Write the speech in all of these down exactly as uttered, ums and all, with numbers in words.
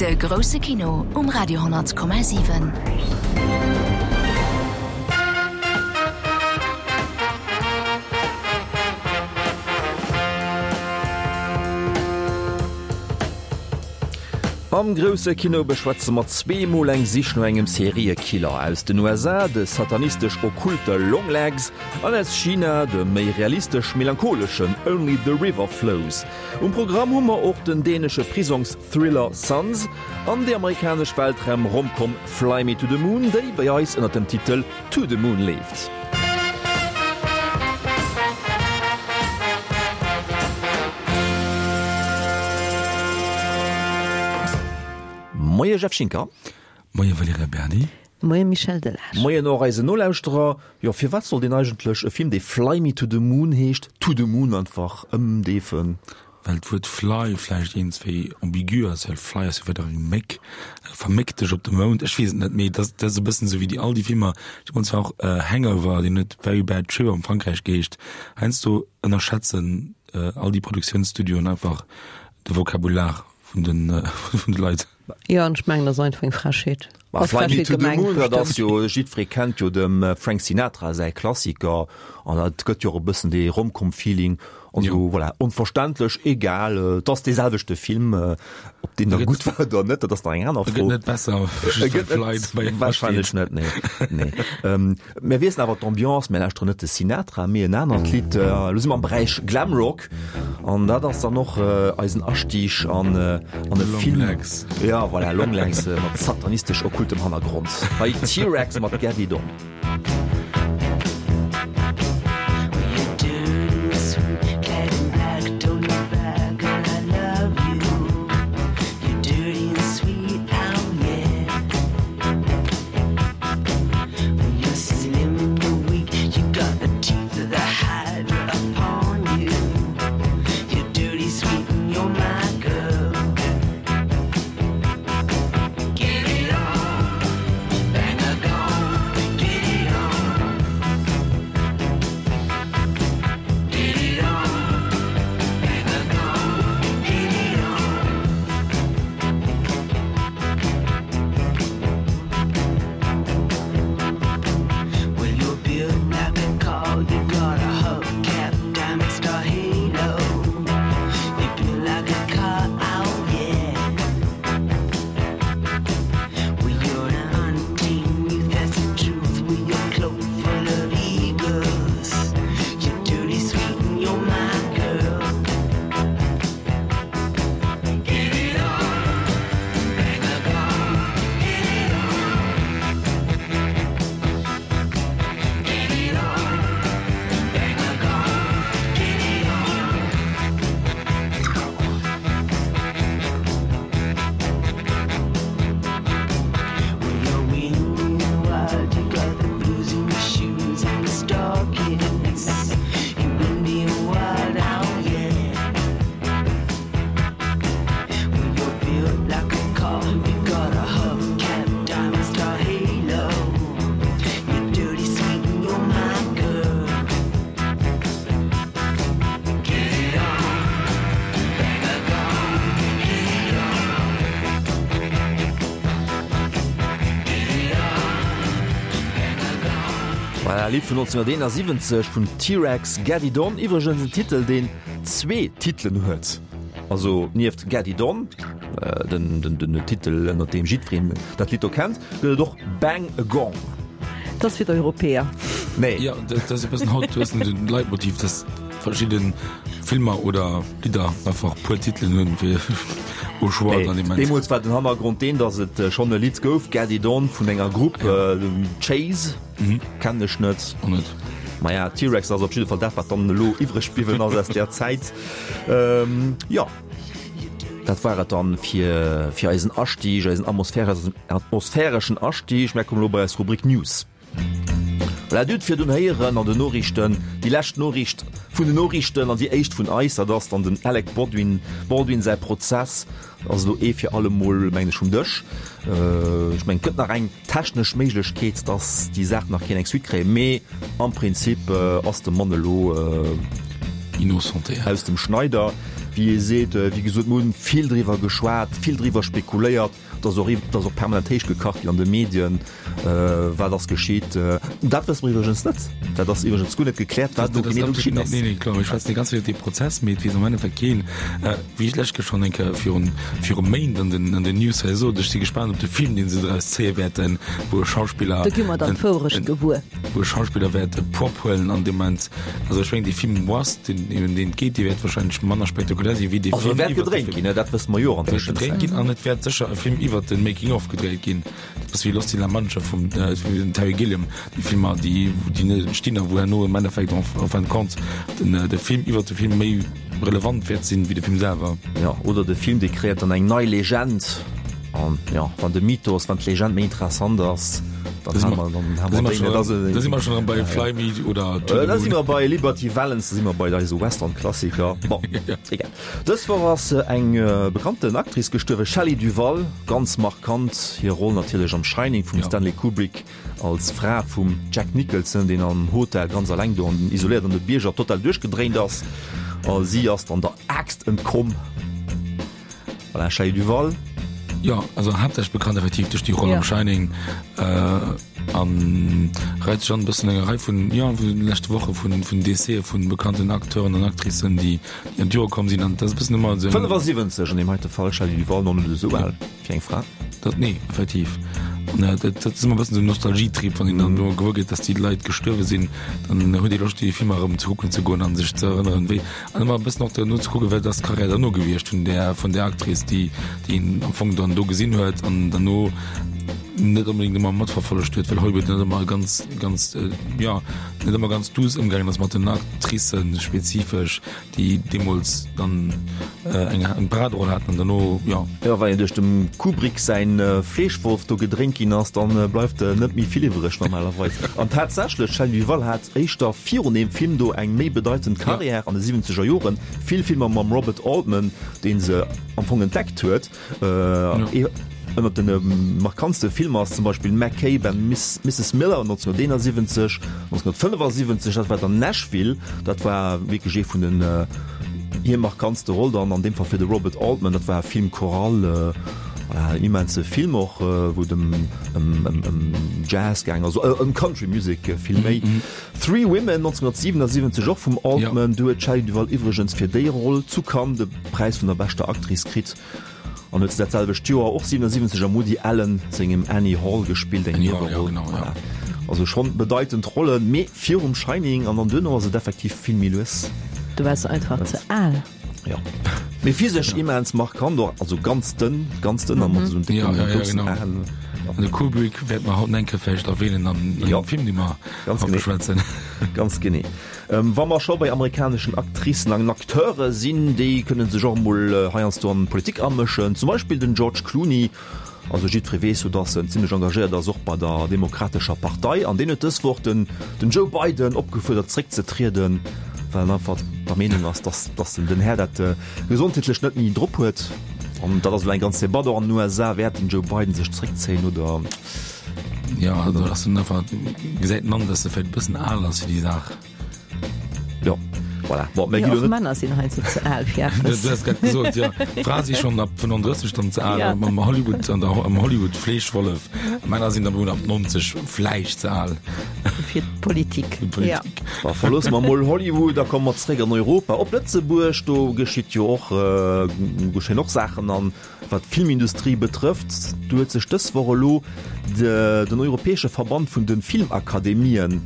De grousse Kino um Radio honnert Komma siwen. Am grousse Kino beschwätze mer zwee mol eng Sich no engem Seriekiller aus den U S A, de satanistesch-okkulte Longlegs, an aus China, de méi realistesch-melancholeschen Only the River Flows. Um Programm hu mer och den dänesche Prisongsthriller Sons an déi amerikanesch Weltraum-Romcom Fly Me to the Moon, déi bei eis ënner dem Titel To the Moon leeft. Moie Jeff Schinker. Moie Valerija Berdi. Moie Michel Delage. Moien och eisen Nolauschterer. Jo, firwat soll deen eigentlech e Film, dee Fly Me to the Moon heescht, To the Moon einfach ëmdeefen? Well d'Wuert fly vläicht eens wéi ambigu ass, well fly ass jo weider eng Méck, verméck dech op de Mound, ech weess et net, mee dat, dat ass e bëssen esou wéi déi all déi Filmer, ech mengen zwar och Hangover, deen huet Very Bad Trip am Frankräich geheescht, heiansdo ënnerschätzen all déi Produktiounsstudioen einfach de Vokabular vun den, vun de Leit. Jo, an ech mengen, dat ass einfach eng Frechheet. Ma Ass Fly Me Frechheet to the gemengt, Moon, dat ass bestimmt. jo, jiddweree kennt jo dem Frank Sinatra säi Klassiker, an dat gëtt jo och e bëssen dee Romcom-Feeling. Also, Jo. voilà, onverständlech, egal, et ass dee selwechte Film, ob deen da E gëtt gutt war oder net, dat ass nach eng aner E gëtt Fro. net besser, E just well gëtt Fly net, dobäi steet. wahrscheinlech net, nee, nee. Ähm, mir wiesselen awer d'Ambiance, mir lauschteren net de Sinatra, mee en anert Lidd. Elo si mer am Beräich Glamrock, an dat ass dann och eisen Astieg an, an e Long Film. Legs. Ja, voilà, Long Legs mat satanistesch-okkultem Hannergrond. Hei T-Rex mat Get It On. Voilà, Lidd vun neunzehnhunderteenundsiebzig vun T-Rex, Get It On. Iwwregens en Titel, deen zwee Titelen huet. Also nieft Get It On, äh, den, den, den Titel, ënner deem jiddwereen dat Lidd do kennt, gëtt et och Bang a Gong. Dat ass fir d'Europäer. Nee. Ja, dat, dat ass e bëssen haut, du hues den Leitmotiv, dass verschidden Filmer oder Lidder einfach puer Titelen hunn fir au choix Nee, dann immens. deemools war den Hannergrond deen, dass et schonn e Lidd gouf, Get It On, vun enger Grupp, äh, Chase. Mhm. Kennen ech net. Och net. Maja, T-Rex ass op jidde Fall dat, wat dann elo iwwreg bliwwen ass aus där Zäit. Ähm, jo. Dat war et dann fir, fir eisen Astieg, eisen atmosphäreschen Astieg. Mir kommen elo bei eis Rubrik News. Voilà, Dir hutt virdrun héieren an den Noriichten, déi lescht Noriicht vun den Noriichten an déi éischt vun eis, dat ass dann den Alec Baldwin, Baldwin säi Prozess ass elo ee fir alle Mol, mengen ech, vum Dësch. Ech mengen, et gëtt nach eng technesch Méiglechkeet, dass déi Saach nach kéint eng Suite kréien, mee am Prinzip ass de Mann elo Innocenté aus dem Schneider. wéi ee seet. Wéi gesot, mir hunn vill driwwer geschwat, vill driwwer spekuléiert. Et ass och, et ass och permanent héich gekacht ginn an de Medien, wat ass geschitt. Dat wësse mer iwwregens net. Dat ass iwwregens guer net gekläert, wat do genee do geschitt ass. Nee, nee, kloer, mir schwätzen déi ganz Zäit iwwer dee Prozess, mee et weess am Endeffekt keen. Wéi ech lech schonn eng Kéier virun, viru Méint an den, an den News hei sot, ech si gespaant op de Film, dee se draus zéie wäerten, wou e Schauspiller, Do gi mer dann d'Wourecht gewuer. wou e Schauspiller wäert e Prop huelen an deem Moment, also ech mengen, dee Film Wasp, deen, ëm deen et geet, dee wäert wahrscheinlech manner spektakulär sinn, wéi dee Also Film e wäert iwwer de gedréint Film. ginn, dat wësse mer jo och an Wäert gedréint Tëschenzäit. ginn an et wäert sécher e Film iwwer de Making of gedréit ginn. Dat ass wéi Lost in La Mancha vum, vum Terry Gilliam, déi Filmer, déi, déi net entstinn a wou herno am Endeffekt en, en fin de compte den, de Film iwwer de Film méi relevant wäert sinn, wéi de Film selwer. Jo, oder de Film, dee kreéiert dann eng nei Legend. An jo, wann de Mythos, wann d'Legend méi interessant ass, dann ha mer, dann ha mer déi net. Da si mer schonn erëm bei Fly Me oder To the Da si Moon. mer bei Liberty Valance, da si mer bei eise Western-Klassiker. Bon, egal. Dës Woch ass eng bekannten Actrice gestuerwen, Shelley Duvall, ganz markant hir Roll natierlech am Shining vum Stanley Kubrick als Fra vum Jack Nicholson, deen am Hotel ganz alleng do an isoléiert an de Bierger total duerchgedréint ass. A si ass dann der Aaxt entkomm. Voilà, Shelley Duvall. Jo, also haaptsächlech bekannt effektiv duerch déi Roll am Ja. Shining äh, an reit sech an e bëssen enger Rei vun, jo, vun de leschte Woche vun, vun Décèse vun bekannten Acteuren an Actricen, déi, déi an d'Jore komm sinn an dat ass e bëssen ëmmer esou eng. fënnefasiwwenzeg an deem heite Fall, Shelley Duvall, noch net esou al fir eng Fra. Dat, nee, effektiv. An äh, dat, dat ass ëmmer e bëssen esou en Nostalgietrip, wann een dann do gewuer gëtt, dass déi Leit gestuerwe sinn, dann huet ee Loscht, déi Filmer erëm ze kucken ze goen an sech ze erënneren, wéi, an ëmmer e bëssen och duerno ze kucken, wat ass d'Karriär derno gewiescht vun där, vun där Actrice, déi, déi een am Fong dann do gesinn huet an derno net onbedéngt ëmmer matverfollegt huet, well Hollywood net ëmmer ganz, ganz, jo, net ëmmer ganz duuss ëmgaangen ass mat den Actricen spezifesch, déi deemools dann eng, eng Paraderoll haten an derno, jo. Jo, wann een duerch dem Kubrick säin Fleeschwolf do gedréint ginn ass, dann bleift net méi vill iwwreg normalerweis. An tatsächlech, d'Shelley Duvall hat éischter virun deem Film do eng méi bedeitend Karriär an de siwwenzeger Joren, vill Filmer mam Robert Altman, dee se am Fong entdeckt huet. Ee ënnert de markantste Filmer ass zum Beispill McCabe and Misses Miller nonzénhunnerteenasiwwenzeg. nonzénhunnertfënnefasiwwenzeg, dat war dann Nashville, dat war wierklech ee vun den hir markantste Roll dann an deem Fall fir de Robert Altman, dat war Film choral, voilà, en immense Film och, wou et ëm ëm ëm Jazz gaang ass, also ëm Country Music vill méi. Three Women nonzénhunnertsiwenasiwwenzeg och vum Altman, do huet d'Shelley Duvall iwwregens fir déi Roll zu Cannes de Präis vun der beschter Actrice kritt. An huet se dat selwecht Joer, och siwenasiwwenzeg, am Woody Allen sengem Annie Hall gespillt, eng Annie Hall, Nieweroll. jo, genau, ja. Voilà. Also schonn bedeitend Rollen, mee virum Shining an dann duerno ass et effektiv vill méi lues. Du waars einfach ze al. Jo. Mee physesch immens markant och, also ganz dënn, ganz dënn a mat esou Ja, décken, ja, ja, groussen genau. Aen. An de Kubrick wäerte mer haut eng Kéier vläicht erwähnen an Jo. engem Film, dee mer Ganz haut genee. beschwätzen. Ganz genee. Wa mer scho bei amerikaneschen Actricen an Acteure sinn, déi kënne sech och emol heiansdo an d'Politik amëschen. Zum Beispill den George Clooney. Also jiddweree weess jo, datt en zimmlech engagéiert ass, och bei der Demokratescher Partei. An deen huet dës Woch den den Joe Biden opgefuerdert zréckzetrieden, well en einfach der Meenung ass, datt datt den Här dat gesondheetlech net méi drop huet. An dat ass elo eng ganz Debatt och an den U S A, Wäert den Joe Biden sech zréckzéien oder? Jo, also ass en einfach, gesäit en an, datt e vläicht e bëssen al ass fir déi Saach. Jo, voilà. Bon, mir Jo, gi lo och net. Männer sinn heiansdo ze al fir Du eppes. hues grad gesot, jo, Frae si schonn ab fënnenodrësseg dann ze al, Ja. am Hollywood, an der, am Hollywood Fleeschwollef. Männer sinn dann ab neunzeg vläicht ze al. Fir d'Politik. Fir d'Politik. Ja. Da verloosse mer mol Hollywood a komme mer zeréck an Europa, op Lëtzebuerg. Do geschitt jo och, geschéien och Saachen an wat d'Filmindustrie betrëfft. Do huet sech dës Woch elo de, den europäesche Verband vun de Filmakademien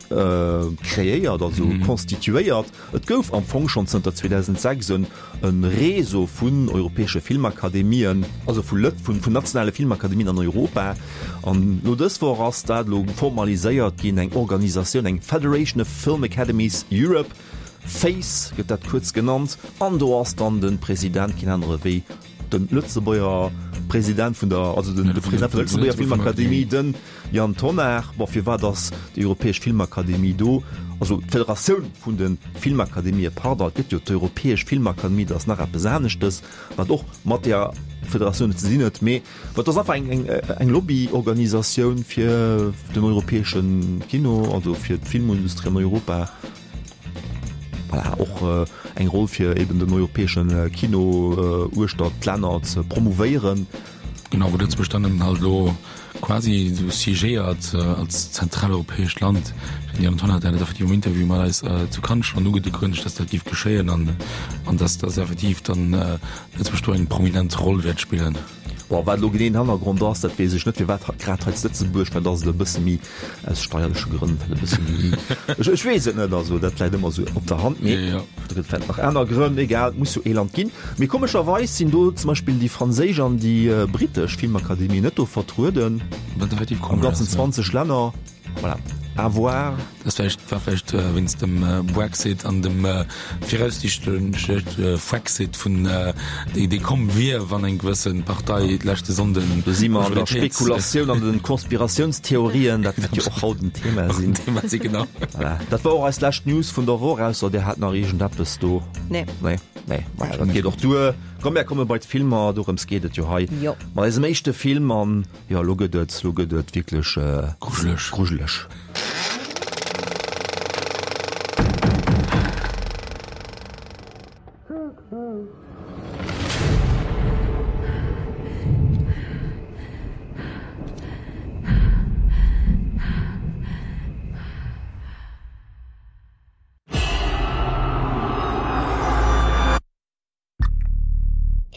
kreéiert, also konstituéiert. Et gouf am Fong schonn zënter zweedausendsechs en Réseau vun europäesche Filmakademien, also vu Lët, vun nationale Filmakademien an Europa. An no dës Woch ass dat elo formaliséiert ginn, eng Organisatioun, eng Federation of Film Academies Europe, FACE gëtt dat kuerz genannt. An do ass dann de President keen anere wéi de Lëtzebuerger President vun der, also den de President vun der Lëtzebuerger Filmakademie, den Yann Tonnar. Bon, firwat ass déi Europäesch Filmakademie do? Also d'Federatioun vun de Filmakademië, pardon, et gëtt jo d'Europäesch Filmakademie, dat ass nach eppes aneschtes, wat och mat där Federatioun ze dinn huet, mee wat ass einfach eng, eng, eng Lobbyorganisatioun fir den europäesche Kino, also fir d'Filmindustrie an Europa. Voilà. voilà, och äh, eng Roll fir eben den europäeschen äh, Kino äh, uechter d'Länner ze promouvéieren. Genau, wou Lëtzebuerg dann eben halt elo quasi esou siégéiert als zentraleuropäescht Land. Den Jan Tonnar hat dat effektiv am Interview mat eis zu Cannes schonn ugedekënnegt, dass dat géif geschéien an an dass dass effektiv dann Lëtzebuerg do eng prominent Roll wäert spillen. Bon, wat elo genee den Hannergrond ass, dat weess ech net, firwat grad hei zu Lëtzebuerg, mä dat ass elo e bësse méi aus steierleche Grënn, vläicht e bësse méi, ech, ech weess et net, also dat läit ëmmer esou op der Hand, mee Jo. do gëtt vläicht nach aner Grënn, egal, et muss jo ee Land ginn. Mee komescherweis sinn do zum Beispill déi franséisch an déi brittesch Filmakademie net do vertrueden, Wat effektiv am komesch ganzen ass, jo. zwanzeg Länner, voilà. À voir. Dat vläicht, war vläicht wéinst dem Brexit an dem viraussiichtleche Frexit vun, dee, dee komm wier, wann eng gewësse Partei leschte Sonnden Do si mer an der Majoritéit. Spekulatioun an den Konspiratiounstheorien, dat wäert jo och haut en Thema sinn. Thema sinn, genau. Voilà. Dat war och eis lescht News vun der Woch, ausser Dir hat nach iergendeppes do. Nee. Nee, nee. Maja, dat geet och duer. Komm, mär komme bei d'Filmer, dorëms geet et jo hei. Jo. Mat eisem éischte Film an, jo, elo gëtt et, elo gëtt et wierklech Grujeleg. grujeleg.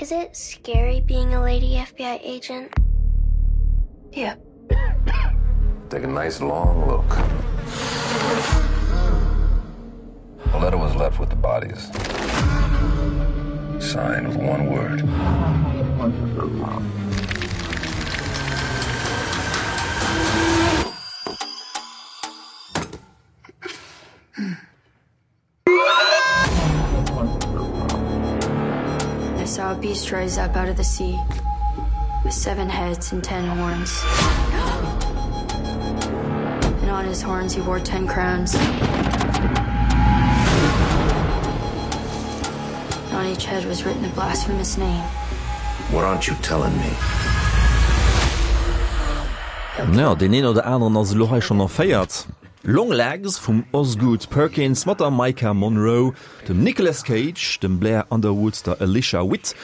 Is it scary being a lady F B I agent? Yeah. Take a nice long look. A letter was left with the bodies. Signed with one word. I saw a beast rise up out of the sea with seven heads and ten horns. And on his horns he wore ten crowns. And on each head was written a blasphemous name. What aren't you telling me? Ja, deen een oder aneren ass elo hei schonn erféiert. Longlegs vum Osgood Perkins mat der Maika Monroe, dem Nicolas Cage, dem Blair Underwood, der Alicia Witt.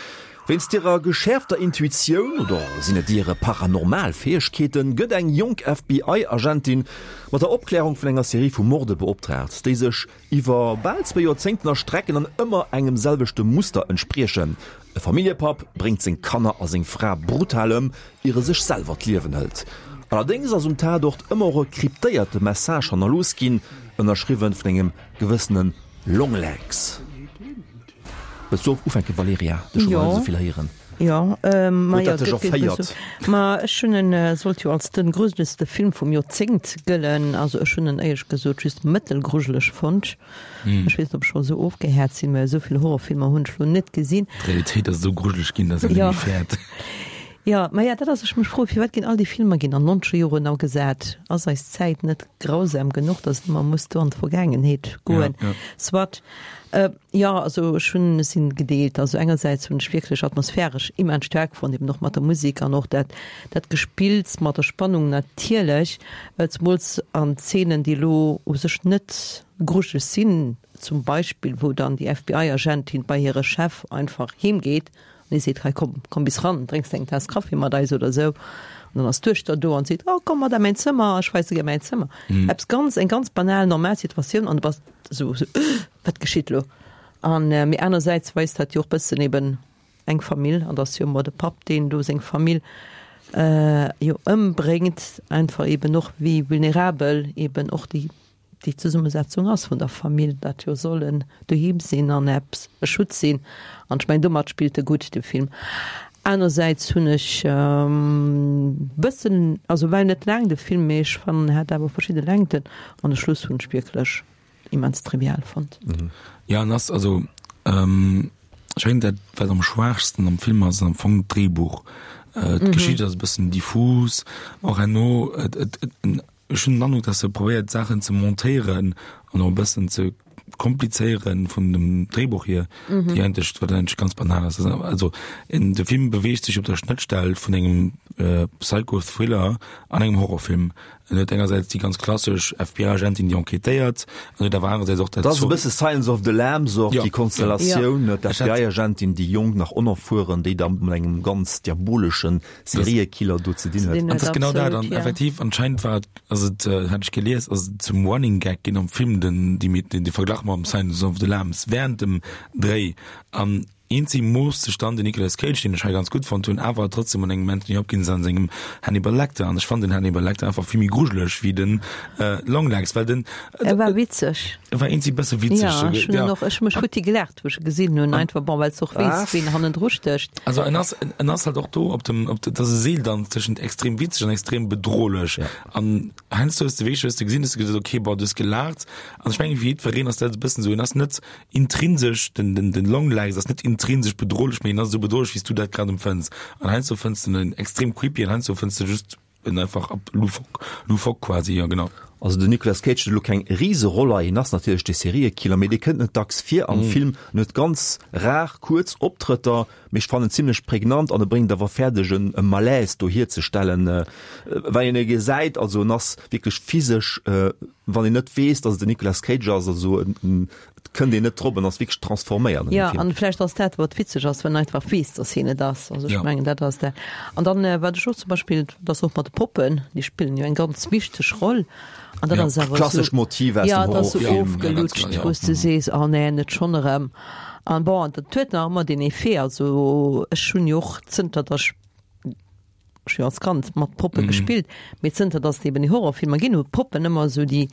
Wéinst hirer geschäerfter Intuitioun, oder sinn et hire paranormal Fäegkeeten, gëtt eng jonk F B I-Agentin mat der Opklärung vun enger Serie vu Morde beoptraagt, déi sech iwwer bal zwee Joerzéngten erstrecken an ëmmer engem selwechte Muster entspriechen. E Familljepapp bréngt seng Kanner a seng Fra brutal ëm, ier e sech selwer d'Liewen hëlt. Allerdéngs ass um Tatort ëmmer och e kryptéierte Message hannerlooss ginn, ënnerschriwwen vun engem gewëssene Longlegs. Wëlls du ufänken, Valerija? Dech hu mer Jo. net esou vill héieren. Jo, ähm, ma Huet jo, dat dech gëtt gëtt erféiert? so. Ma ech hunn en, äh, sollt jo als den gruseligste Film vum Joerzéngt gëllen. Also ech hunn en éierlech gesot just mëttelgrujeleg fonnt. Mm. Ech weess net, ob ech scho sou ofgehäert sinn, well esou vill Horrorfilmer hunn ech lo net gesinn. D'Realitéit ass esou grujeleg ginn, dass een Ja. net méi fäert. Ja, ma ja, dat ass, ech mech froe, firwat ginn all déi Filmer ginn an nonzeger Joren agesat? Ass eis Zäit net grausam genuch, dass et ëmmer muss do an d'Vergaangenheet goen? Ja, ja. Soit, äh, ja, also ech hunn, sinn gedeelt. Also engersäits hunn ech wierklech atmosphäresch immens staark fonnt, eben och mat der Musik an och dat, dat Gespills mat der Spannung natierlech, äh, zemools an Zeenen, déi elo u sech net grujeleg sinn, zum Beispill, wou dann déi F B I-Agentin bei hire Chef einfach heemgeet an hie seet, hei komm, komm bis ran, drénks eng Taass Kaffi mat eis oder sou. An dann ass d'Duechter do an seet, oh, komm mat a mäin Zëmmer, ech weise dir mäin Zëmmer. Mhm. Eppes ganz, eng ganz banal, normal Situatioun an du bass sou, sou, wat geschitt lo? An, äh, mee anersäits weist dat jo och bëssen eben eng Famill, an dass jo ëmmer de Papp, deen do seng Famill, äh, jo ëmbréngt, einfach eben och wéi vulnerabel eben och déi, déi Zesummesetzung ass vun der Famill, dat jo sollen doheem sinn an eppes e Schutz sinn. An ech mengen, domat spillt e gutt, de Film. Anersäits hunn ech, ähm, bëssen, also well net laang de Film, mee ech fannen, en hat awer verschidde Längten an de Schluss hunn ech wierklech immens trivial fonnt. Mhm. Ja, an ass, also, ähm, ech mengen, dat, wat am schwaachsten am Film ass, ass am Fong d'Dréibuch. Äh, d'Geschicht ass e bëssen diffus, och herno, et, et, et, en, ech hunn den Androck, dass se probéiert, Saachen ze montéieren an och e bëssen ze komplizéieren vun dem Dréibuch hier, Mhm. déi eigentlech, wat eigentlech ganz banal ass. Also, also, in, de Film beweegt sech op der Schnëttstell vun engem, äh, Psycho-Thriller an engem Horrorfilm. En huet engersäits déi ganz klassesch F B I-Agentin, déi enquêtéiert, an huet awer anerersäits och dat Dat ass e Zo- bësse Silence of the Lambs och, Ja. déi Konstellatioun, Ja. d'F B I-Agentin, déi jonk, nach onerfueren, déi da mat engem ganz diaboleschen Seriekiller do ze dinn huet. An dat ass genau dat. An effektiv, anscheinend war et, also et hat ech gelies, ass et zum Running Gag ginn am Film, den, déi, den, de Verglach mam Silence of the Lambs während dem Dréi. An eenzeg moosst sech dann den Nicolas Cage, deen ech hei ganz gutt fonnt hunn, awer trotzdem an engem Anthony Hopkins an sengem Hannibal Lecter. An ech fand den Hannibal Lecter einfach vill méi grujeleg wéi den Longlegs, well den E war witzeg. E war eenzeg bësse witzeg. Ja, ech hunn en och, ech hu mech futti gelaacht, wou ech e gesinn hunn, einfach, bon, well s de och weess, ween hannendru stécht. Also en ass, en ass halt och do op dem, op de, dat ass e Seeldanz tëschent extrem witzeg an extrem bedrohlech. An heiansdo hues de wierklech, hues de gesinn, hues de gesot, okay, bon, du hues gelaacht. An ech mengen, fir jiddwereen ass dat e bëssen esou, en ass net intrinsesch, den, den, den Longlegs ass net intrinsesch bedrohlech, mee en ass esou bedrohlech, wéi s du dat grad empfënns. An heiansdo fënns de en extrem creepy an heiansdo fënns de just en einfach ab loufoque, loufoque quasi, ja genau. Also den Nicolas Cage huet elo keng Riseroll hei, hien ass natierlech de Seriekiller, mee dee kënnt net dacks vir am Mm. Film, en huet ganz rar kuerz Optrëtter, mee ech fannen en zimlech prägnant an e bréngt awer fäerdeg en e Malaise do hierzestellen, well een e gesäit, also en ass wierklech physesch, wann een net weess, datt et den Nicolas Cage ass, also en, en, et kënnt een net drop, en ass wierklech transforméiert an Ja, dem Film. an vläicht ass dat, wat witzeg ass, wann een einfach weess, datt hien et ass. Also ech Ja. mengen, dat ass dat. An dann, wat ech och zum Beispill, dat ass och mat de Poppen, déi spillen jo eng ganz wichteg Roll. An dat Ja, ass awer klassescht so, Motiv aus ja, dem dat ass so Horrorfilm. ofgelutscht, Ja, ganz klar, ja. wou s de sees, oh nee, net schonn erëm. An bon, dat huet nach ëmmer den Effet, also ech hunn jo och zënter datt ech ech hu jo als Kand mat Poppe Mhm. gespillt, mee zënter datt et eben déi Horrorfilmer ginn, hu Poppen ëmmer esou déi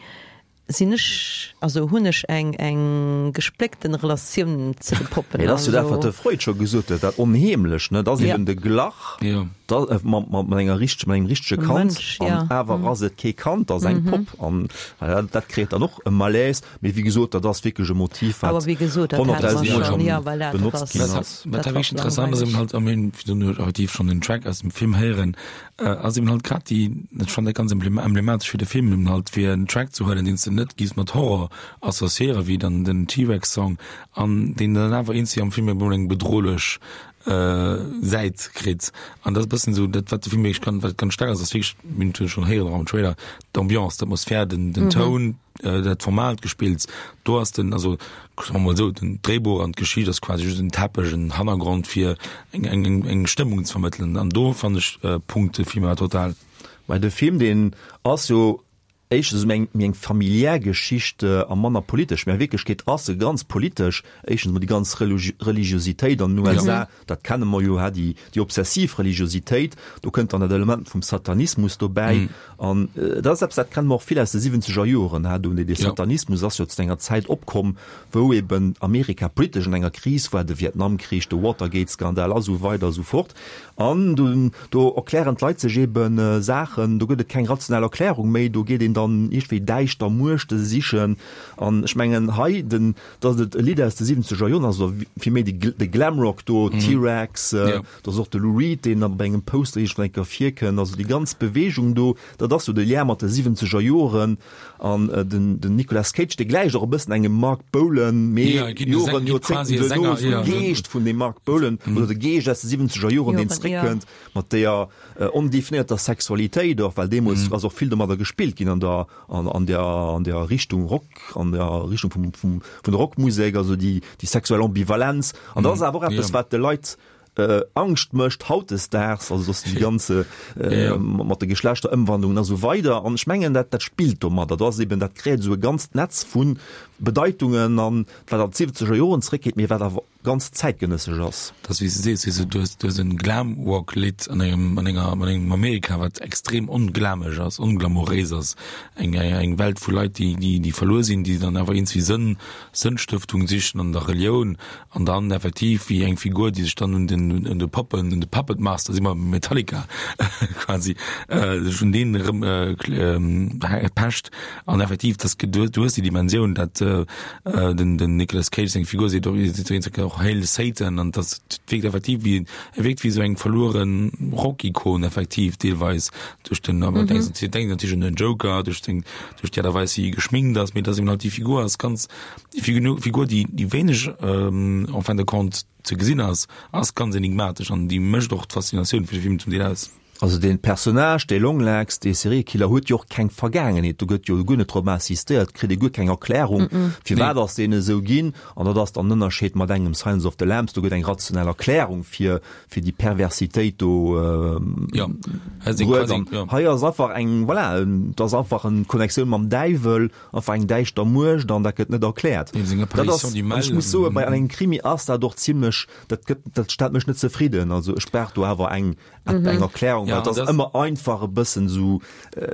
sinn ech, also hunn ech eng, eng gespléckten Relatioun ze de Poppen. Mee dat ass jo dat, also wat de Freud scho gesot huet, dat Onheemlecht, ne? Dat ass Ja. eben de Glach, Ja. dat, äh, mat, mat, mat enger richteg, mat engem richtege E Kand, Mënsch, an ja. awer Mhm. ass et kee Kand, dat ass eng Mhm. Popp, an ja, dat kreéiert dann och e Malaise, mee wéi gesot, dat ass wierklech e Motiv, wat Awer wéi gesot, dat hate mer honnertdausend Mol schonn, schonn ja, voilà, dat benotzt ass ginn Wat ass. wat dat da war wierklech interessant ass, eben langweileg. halt, am Ende, wéi du nur effektiv schonn den Track aus dem Film héieren, äh, ass eben halt grad déi, dat fand ech ganz emblem-, emblematesch fir de Film, eben halt fir en Track ze huelen, deen s de net giffs mat Horror associéieren, wéi dann den T-Rex-Song, an deen dann awer eenzeg am Film eben eng bedrohlech, äh, Säit kritt. An dat ass e bëssen esou dat, wat de Film wierklech kann, wat ganz staark ass, ass wierklech, mir hunn et schonn héieren och am Trailer, d'Ambiance, d'Atmosphär, den, den Mhm. Toun, äh, dat Format gespillt. Do ass den, also, soe mer mol esou, den Dréibuch an d'Geschicht ass quasi just en Teppech, en Hannergrond fir eng, eng, eng, eng Stëmmung ze vermëttelen. An do fand ech, äh, Punkt de Film awer total. Well de Film, deen ass jo éischtens méi eng, méi eng familiär Geschicht, äh, a manner politesch. Mee a Wierklechkeet ass se ganz politesch. Éischtens mol déi ganz Religi-, Religiositéit an den U S A, Ja. dat kenne mer jo, ha, déi, déi obsessiv Religiositéit. Do kënnt dann dat Element vum Satanismus dobäi. Mhm. An, äh, dat ass eppes, dat kenne mer och vill aus de siwwenzeger Joren, ha, do dee Ja. Satanismus ass jo zu enger Zäit opkomm, wou eben Amerika politesch an enger Kris war, de Vietnamkrich, de Watergate-Skandal a sou weider a sou fort. An do, do erklären d'Leit sech eben, äh, Saachen, do gëtt et keng rational Erklärung méi, do geet een dann iergendwéi däischter Muechte sichen. An ech mengen, hei, den, dat ass et e Lidd aus de siwwenzeger Joren, also vill méi de, de Glamrock do, Mhm. T-Rex, äh, Ja. do ass och de Lou Reed, deen dann bei engem Poster iergendwann eng Kéier virkënnt, also déi ganz Bewegung do, dat ass so de Lien mat de siwwenzeger Joren. An, äh, den, den Nicolas Cage, dee gläicht och e bëssen engem Marc Bolan, mee Ja, ginn de Joren, Sänger, ginn Joerzéngten quasi e duerno, Sänger, so ja, de so Geescht vun dem Marc Bolan, Mhm. oder de Geescht aus de siwwenzeger Joren, deen Joren, ja. zréckkënnt, mat der, äh, ondefinierter Sexualitéit och, well deemools Mhm. ass och vill domadder gespillt ginn an der, an, an der, an der Richtung Rock, an der Richtung vum, vum, vun der Rockmusek, also déi, déi sexuell Ambivalenz. An dat ass Mhm. awer och eppes, Ja. wat de Leit, äh, Angscht mécht hautdesdaags, also dass déi ganze, äh, Ja. mat de Geschlechterëmwandlungen a sou weider. An ech mengen, dat, dat spillt domadder. Dat ass eben, dat kreéiert esou e ganzt Netz vu Bedeitungen an, wat an d'siwwenzeger Joren zréckgeet, mee wat awer ganz zäitgenëssesch ass. Dat ass, wéi s de sees, weess de, du hues, du hues en Glamrock-Lidd an engem, an enger, an engem Amerika, wat extrem onglameg ass, onglamouréis ass. Eng, eng, eng Welt vu Leit, déi, déi, déi verluer sinn, déi dann awer iergendwéi Sënn, Sënnstëftung sichen an der Relioun an dann effektiv wéi eng Figur, déi sech dann un den, un de Poppen, un de Puppet Master, si mer Metallica quasi, äh, sech un deen erëm, äh, kl-, ähm, pecht. An effektiv, das, du, du hues déi Dimensioun, dat, äh, äh, den, den Nicolas Cage seng Figur seet och, seet och, och Hail Satan, an das wirkt effektiv wie, er wirkt wie so eng verlueren Rock-Ikon effektiv deelweis duerch den, aber Mhm. denkst, du denkst natürlich un den Joker, duerch den, duerch die Art a Weis, wéi geschminkt ass, mee dass eben halt die Figur ass ganz, die Figur, Figur, die, die wéineg, ähm, en fin de compte ze gesinn ass, ass ganz enigmatesch an die mécht och d'Faszinatioun fir de Film zum Deel aus. Also den Personnage, dee Longlegs, dee Seriekiller huet jo och keng Vergaangenheet, do gëtt jo guer net drop insistéiert, kritt ee guer keng Erklärung, firwat ass deen esou ginn. An dat ass dann den Ënnerscheed mat engem Silence of the Lambs, do gëtt eng rationell Erklärung fir fir déi Perversitéit do bruet. An hei ass einfach eng, voilà, et ass einfach eng Connectioun mam Däiwel, einfach eng däischter Muecht an dat gëtt net erkläert. Dat ass, an ech muss soen, bei engem Krimi ass dat och zimlech, dat gëtt, dat stellt mech net zefridden. Also ech brauch do awer eng, eng Erklärung, well et ass ëmmer einfach e bëssen esou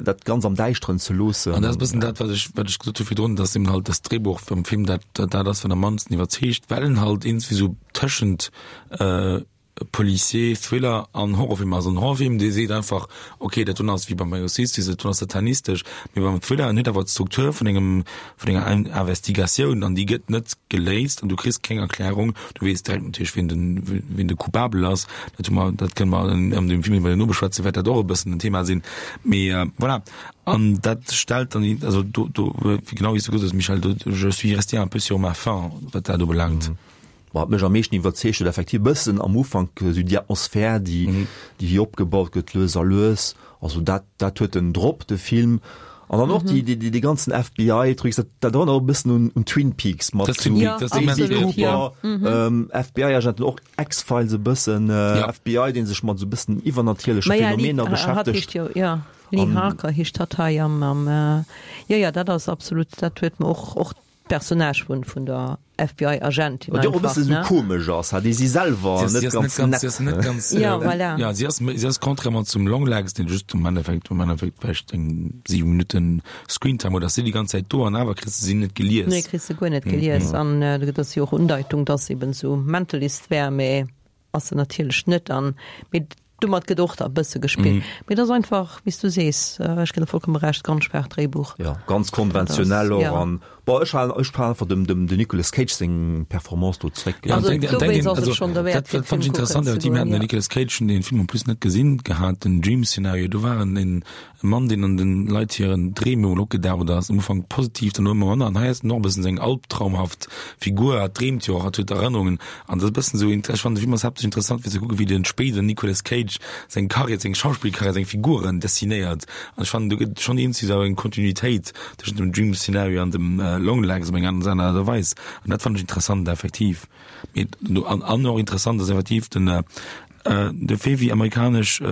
dat ganz am Däischteren ze loossen. An dat ass e bëssen dat, wat ech, wat ech gesot hu virdrun, dass eben halt das Drehbuch vum Film dat, dat ass, wat am mannsten iwwerzeegt, well en halt iergendwéi sou tëschent Policier, Thriller an Horrorfilm ass. An Horrorfilm, dee seet einfach, okay, dat doen ass wéi beim Exorzist, dat doen ass satanistesch, mee beim Thriller, en huet awer d'Struktur vun engem, vun enger Investigatioun an déi gëtt net geléist an du kriss keng Erklärung. Du weess direkt natierlech, wien den, wien de Coupabel ass. Dat hu mer, dat kënne mer an dem Film, dee mer duerno beschwätzen, wäert dat och e bëssen en Thema sinn. Mee voilà, an dat stellt dann, also do, do, genau wéi s du gesot hues, Michèle, do, je suis resté un peu sur ma faim, wat dat ubelaangt. Wat mech am meeschten iwwerzeegt huet, effektiv e bëssen am Ufank esou déi Atmosphär, déi déi wéi opgebaut gëtt lues a lues. Also dat dat huet en drop, de Film. An dann och déi déi déi ganzen FBI-Trucs, dat dat erënnert och e bëssen un un Twin Peaks mat Das Twin esou Peaks, das immens, Daisy ja. Cooper, FBI-Agenten, och X-Files e bëssen, FBI, dee sech mat esou e bëssen iwwernatierleche Ma ja, Lee, Phänomener hatt beschäftegt. heescht jo, ja, Lee An Harker heescht hatt hei am am, jo, jo, dat ass absolut, dat huet mer och och Personnage vun vun der F B I Agentin Wat jo och e einfach, bësse sou ne? komesch ass, ha, déi si selwer Si ass, si net ass net ganz ganz, si nett. ass net ganz, Ja, äh, voilà. ja, si ass, si ass contrairement zum Longlegs, deen just am Endeffekt, am Endeffekt vläicht eng siwe Minutten Screentime huet, ass si déi ganz Zäit do an awer kriss de si net gelies. Nee, kriss de guer net gelies. An do gëtt ass jo och Undeitung, dass se eben sou Mentalist wär, mee ass se natierlech net. An mee domat gëtt och da e bësse gespillt. Mee et ass einfach, wéi s du sees, ech ginn der vollkomme Recht, ganz schwaacht Dréibuch. Jo, ganz konventionell och. An bon, ech halen, ech halen einfach dem, dem, dem Nicolas Cage seng Performance do zréck. Ja, Also an denkt, an denkt dowéinst een, ass et also schonn derwäert, dat, fir dat fand de ech Film kucken interessant, ze effektiv, mir goen, haten den jo. Nicolas Cage, hunn deen Film en plus net gesinn gehat, den Dream Scenario, do war en en e Mann, deen an den Leit hiren Dreem emol opgedaucht ass, am Ufank positiv, dann ëmmer manner, an hei ass en och e bëssen sou eng albtraumhaft Figur, hat dreemt jo och, hat huet Erënnerungen, an dat ass e bëssen sou, ech fannen de Film ass haaptsächlech interessant fir ze kucken, wéi den spéideren Nicolas Cage seng Karriär, seng Schauspillkarriär, seng Figuren dessinéiert, an ech fannen do gëtt schonn iergendwéi sou eng Kontinuitéit tëschent dem Dream Scenario an dem Longlegs op eng aner Aart a Weis, an dat fannen ech interessant effektiv. Mee an an och interessant ass effektiv den de Fait wéi amerikanesch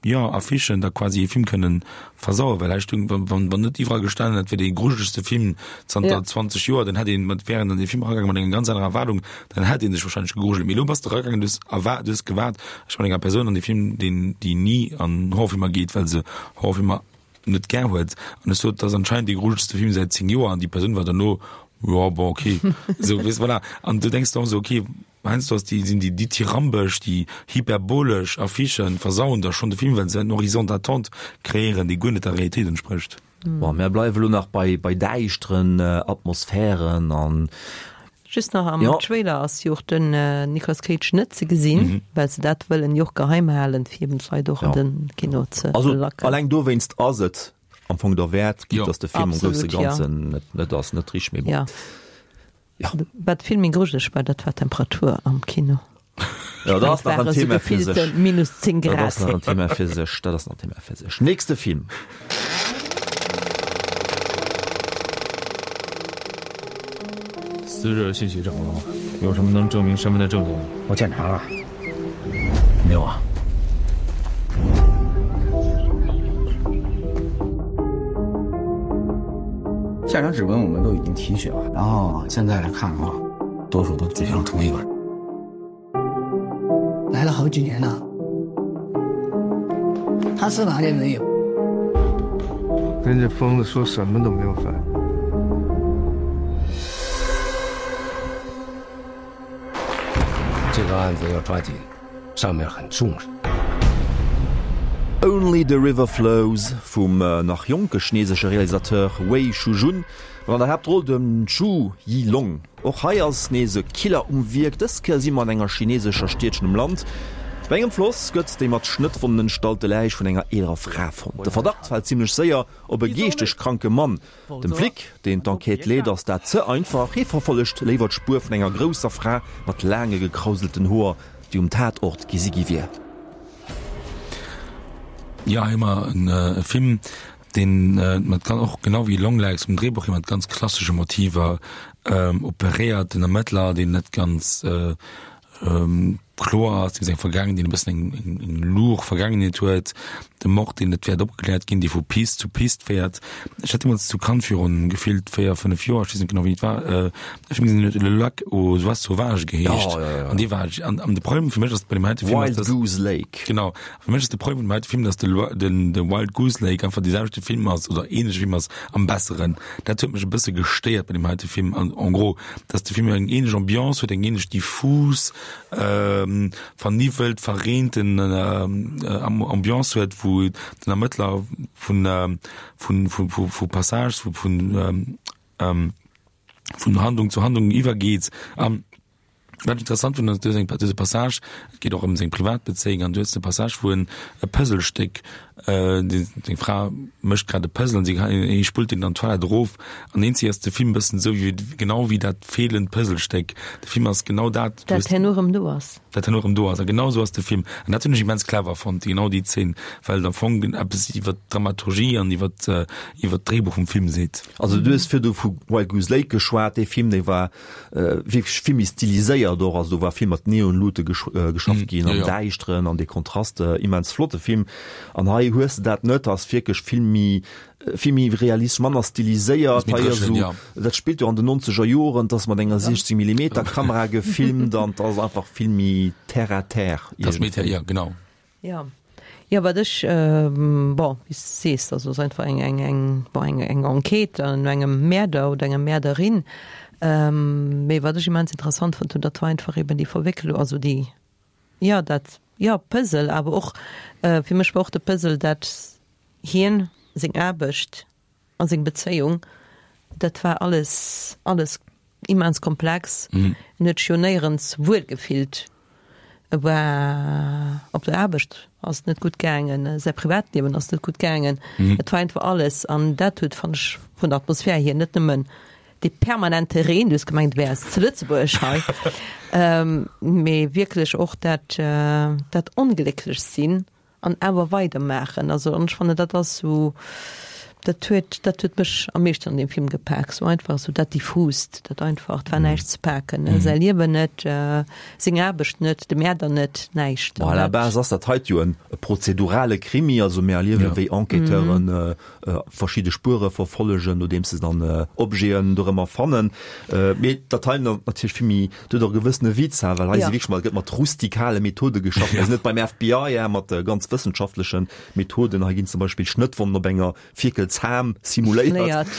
jo, Affichen da quasi ee Film kënnen versauen, well hei stung, wann, wann, wann net iwwerall gestanen hätt, wär dee grujelegste Film zanter zwanzeg Joer, dann hätt een mat, wär een an dee Film eragaangen mat enger ganz anerer Erwaardung, dann hätt ee sech wahrscheinlech gegrujelt. Mee elo bass de eragaangen, du hues erwaart, du hues gewaart, ech mat enger Persoun an dee Film, deen, déi ni an Horrorfilmer geet, well se Horrorfilmer net gär huet, an ech sot, dat ass anscheinend dee grujelegste Film säit zéng Joer, an déi Persoun war derno, jo, bon, okay, esou, weess, voilà. An du denks der och esou, okay, Heiansdo ass déi, sinn déi dithyrambesch, déi hyperbolesch Affichen versauen da schonn de Film, well se en Horizon d'attente kreéieren, dee guer net der Realitéit entsprécht. Bon, mär bleiwe lo nach bei, bei däischteren Atmosphären an. Just nach, am Jo. Trailer ass jo och den Nicolas Cage net ze gesinn, well se dat wëllen jo och geheim halen, fir eben d'Leit och an Jo. de Kino ze Also lacken. alleng dowéinst ass et am Fong derwäert, quitte Jo. dass de Film am grousse Absolut, jo. Ganzen net, net ass, net richteg, mee bon. Ja. Ja. Wat vill méi grujeleg war, dat war d'Temperatur am Kino. Ja, dat ass nach en Thema fir sech. Minus zéng Dat ass Grad. nach en Thema fir sech. Dat ass nach en Thema fir sech. Nächste Film. 死者信息找了吗？有什么能证明身份的证据吗？我检查了，没有啊。现场指纹我们都已经提取了，然后现在来看的话，多数都指向同一个人。来了好几年了，他是哪里人有？跟这疯子说什么都没有反应。这个案子要抓紧，上面很重视。 Only the River Flows vum nach jonke chinesesche Realisateur Wei Shujun, mat an der Haaptroll dem Zhu Yilong. Och hei ass nees e Killer um Wierk, dës Kéier si mer an enger chinesescher Stiedchen um Land. Bei engem Floss gëtt déi mat Schnëttwonnen entstallte Läich vun enger eelerer Fra fonnt. De Verdacht fält zimmlech séier op e geeschteg kranke Mann. Dem Flic, deen d'Enquête leet, ass dat ze einfach, hie verfollegt léiwer d'Spuer vun enger grousser Fra mat laange gekrauselten Hoer, déi um Tatort gesi gi wier. Ja, hei hu mer en äh, Film, deen äh, mat gan- och genau wéi Longlegs um Drehbuch hier mat ganz klassesche Motiver ähm, operéiert, den Ermëttler, deen net ganz äh, ähm, kloer ass, deem seng Vergaangen, deen e bëssen eng, eng, eng luch Vergaangenheet huet, de Mord, deen net wäert opgekläert ginn, dee vu Pist zu Pist féiert. Ech hat deemools zu Cannes virun gefillt véier, fënnef Joer, ech weess net genau wéini et war, äh, e Film gesinn, deen huet Le Lac aux Oies Sauvages geheescht. Ja, ja, ja. An dee war, an, an de Problem fir mech ass bei dem heite Film, ass, Wild dass, Goose Lake. Genau. Fir mech ass de Problem vun dem heite Film, dass de, Lo- den, de Wild Goose Lake einfach dee selwechte Film ass oder ähnleche Film ass am besseren. Dat huet mech e bësse gestéiert bei dem heite Film. An en gros, dass de Film eng ähnlech Ambiance huet, eng ähnlech diffus, ähm, verniwwelt, verreenten ähm, äh, Ambiance huet, wou den Ermëttler vun, ähm, vun, vun, vun, vu Passage, vu, vun, ähm, ähm, vun Handlung zu Handlung iwwergeet. An wat ech interessant fannen, ass dëse dëse Passage, et geet och ëm seng privat Bezéiung, an du hues de Passage, wou en e Puzzlestéck, äh, déi, seng Fra mécht grad e Puzzle an si hie spullt deen an d'Toilette erof an eenzeg ass de Film e bëssen esou wéi, genau wéi dat feelend Puzzlestéck. De Film ass genau dat, du Dat hues, herno erëm do ass. dat herno erëm do ass. A genau esou ass de Film. An dat hunn ech immens clever fonnt, genau déi Zeen, well et am Fong eppes iwwer d'Dramaturgie an iwwer, iwwer d'Dréibuch vum Film seet. Also du hues virdu vu Wild Goose Lake geschwat, dee Film, dee war wierklech vill méi stiliséiert och, also do war vill mat Neonlute geschafft ginn an Däischteren an de Kontraster, immens flotte Film. An hei hues de dat net, ass wierklech vill méi, vill méi realistesch, manner stiliséiert. Hei ass esou, dat spillt jo an den nonzeger Joren, et ass mat enger siechzeg Millimeter Kamera gefilmt an et ass einfach vill méi terre à terre iergendwéi. Jo, genau. Jo. Jo, wat ech, bon, wéi s de sees, also ass einfach eng, eng, eng, bon, eng, eng Enquête no engem Mäerder oder enger Mäerderin. Mee wat ech immens interessant fonnt hunn, dat war einfach eben déi Verwécklung, also déi, jo, dat, jo, Puzzle, awer och, fir mech war och de Puzzle, dat hien, seng Aarbecht a seng Bezéiung, dat war alles, alles immens komplex. En huet sech jo néierens wuel gefillt. E war op der Aarbecht ass et net gutt gaangen, säi Privatliewen ass net gutt gaangen. Et war einfach alles an dat huet, fannen ech, vun der Atmosphär hier net nëmmen dee permanente Reen, du hues gemengt, du wäers zu Lëtzebuerg hei, mee wierklech och dat, dat onglécklech sinn an awer weidermaachen. Also an ech fannen, dat ass esou, dat huet, dat huet mech am meeschten an deem Film gepak, esou einfach esou dat Diffust, dat Einfacht, et war näischt ze paken, säi Liewen net, seng Aarbecht net, de Mäerder net, näischt. Bon, à la base ass dat heit jo en prozedurale Krimi, also mir erliewen, wéi Enquêteuren verschidde Spuere verfollegen, nodeems se dann Objeten dorëmmer fannen. Mee dat hei natierlech vill méi, dat huet och e gewëssene Witz, well hei si wierklech mat, gëtt mat rustikale Methode geschafft. Mir sinn net beim F B I, mat ganz wëssenschaftleche Methoden. Hei ginn zum Beispill Schnëttwonnen op enger Fierkelsham simuléiert.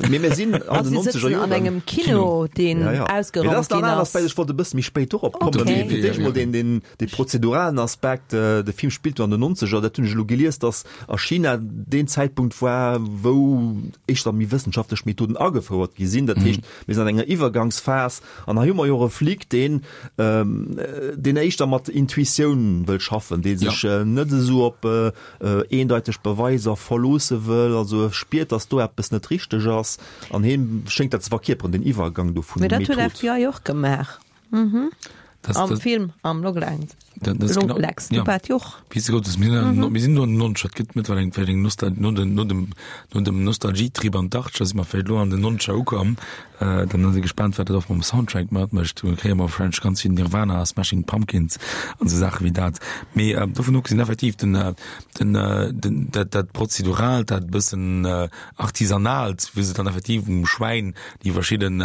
Mee mir sinn an den nonzeger Joren. An engem Kino, deen ausgeraumt ginn ass. Ech wollt e bësse méi spéit dorop kommen. Mee fir d'éischt mol deen prozeduralen Aspekt. De Film spillt jo an den nonzeger. Dat hunn ech elo gelies, datt a China deen Zäitpunkt war, wou éischter méi wëssenschaftlech Methoden agefouert gi sinn. Dat heescht, mir sinn an enger Iwwergangsphas an hei hu mer jo och e Flic, deen, deen éischter mat Intuitioun wëll schaffen, dee sech net esou op eendeiteg Beweiser verloosse wëll. Also e spiert, datt do eppes net richteg ass an hien schéngt dat ze verkierperen, den Iwwergang do vun Mee dat huet Method. F B I och gemaach. Am Film am Longlegs. Longlegs, du bat jo och. Wéi s de gesot hues, mir sinn an, mir sinn do an den Nonzeger. Et gëtt mëttlerweil eng, vläicht eng Nostal-, no den, no dem, no dem Nostalgietrip an d'Achtzeger si mer vläicht elo an den Nonzeger ukomm. Dann ass ee gespaant, wat dat och mam Soundtrack matmécht. Do kréie mer vläicht ganz vill Nirvana, Smashing Pumpkins an esou Saache wéi dat. Mee dovun ofgesinn, effektiv, den, den, den, dat, dat Prozeduraalt, dat bëssen Artisanaalt, wéi se dann effektiv um Schwäin déi verschidden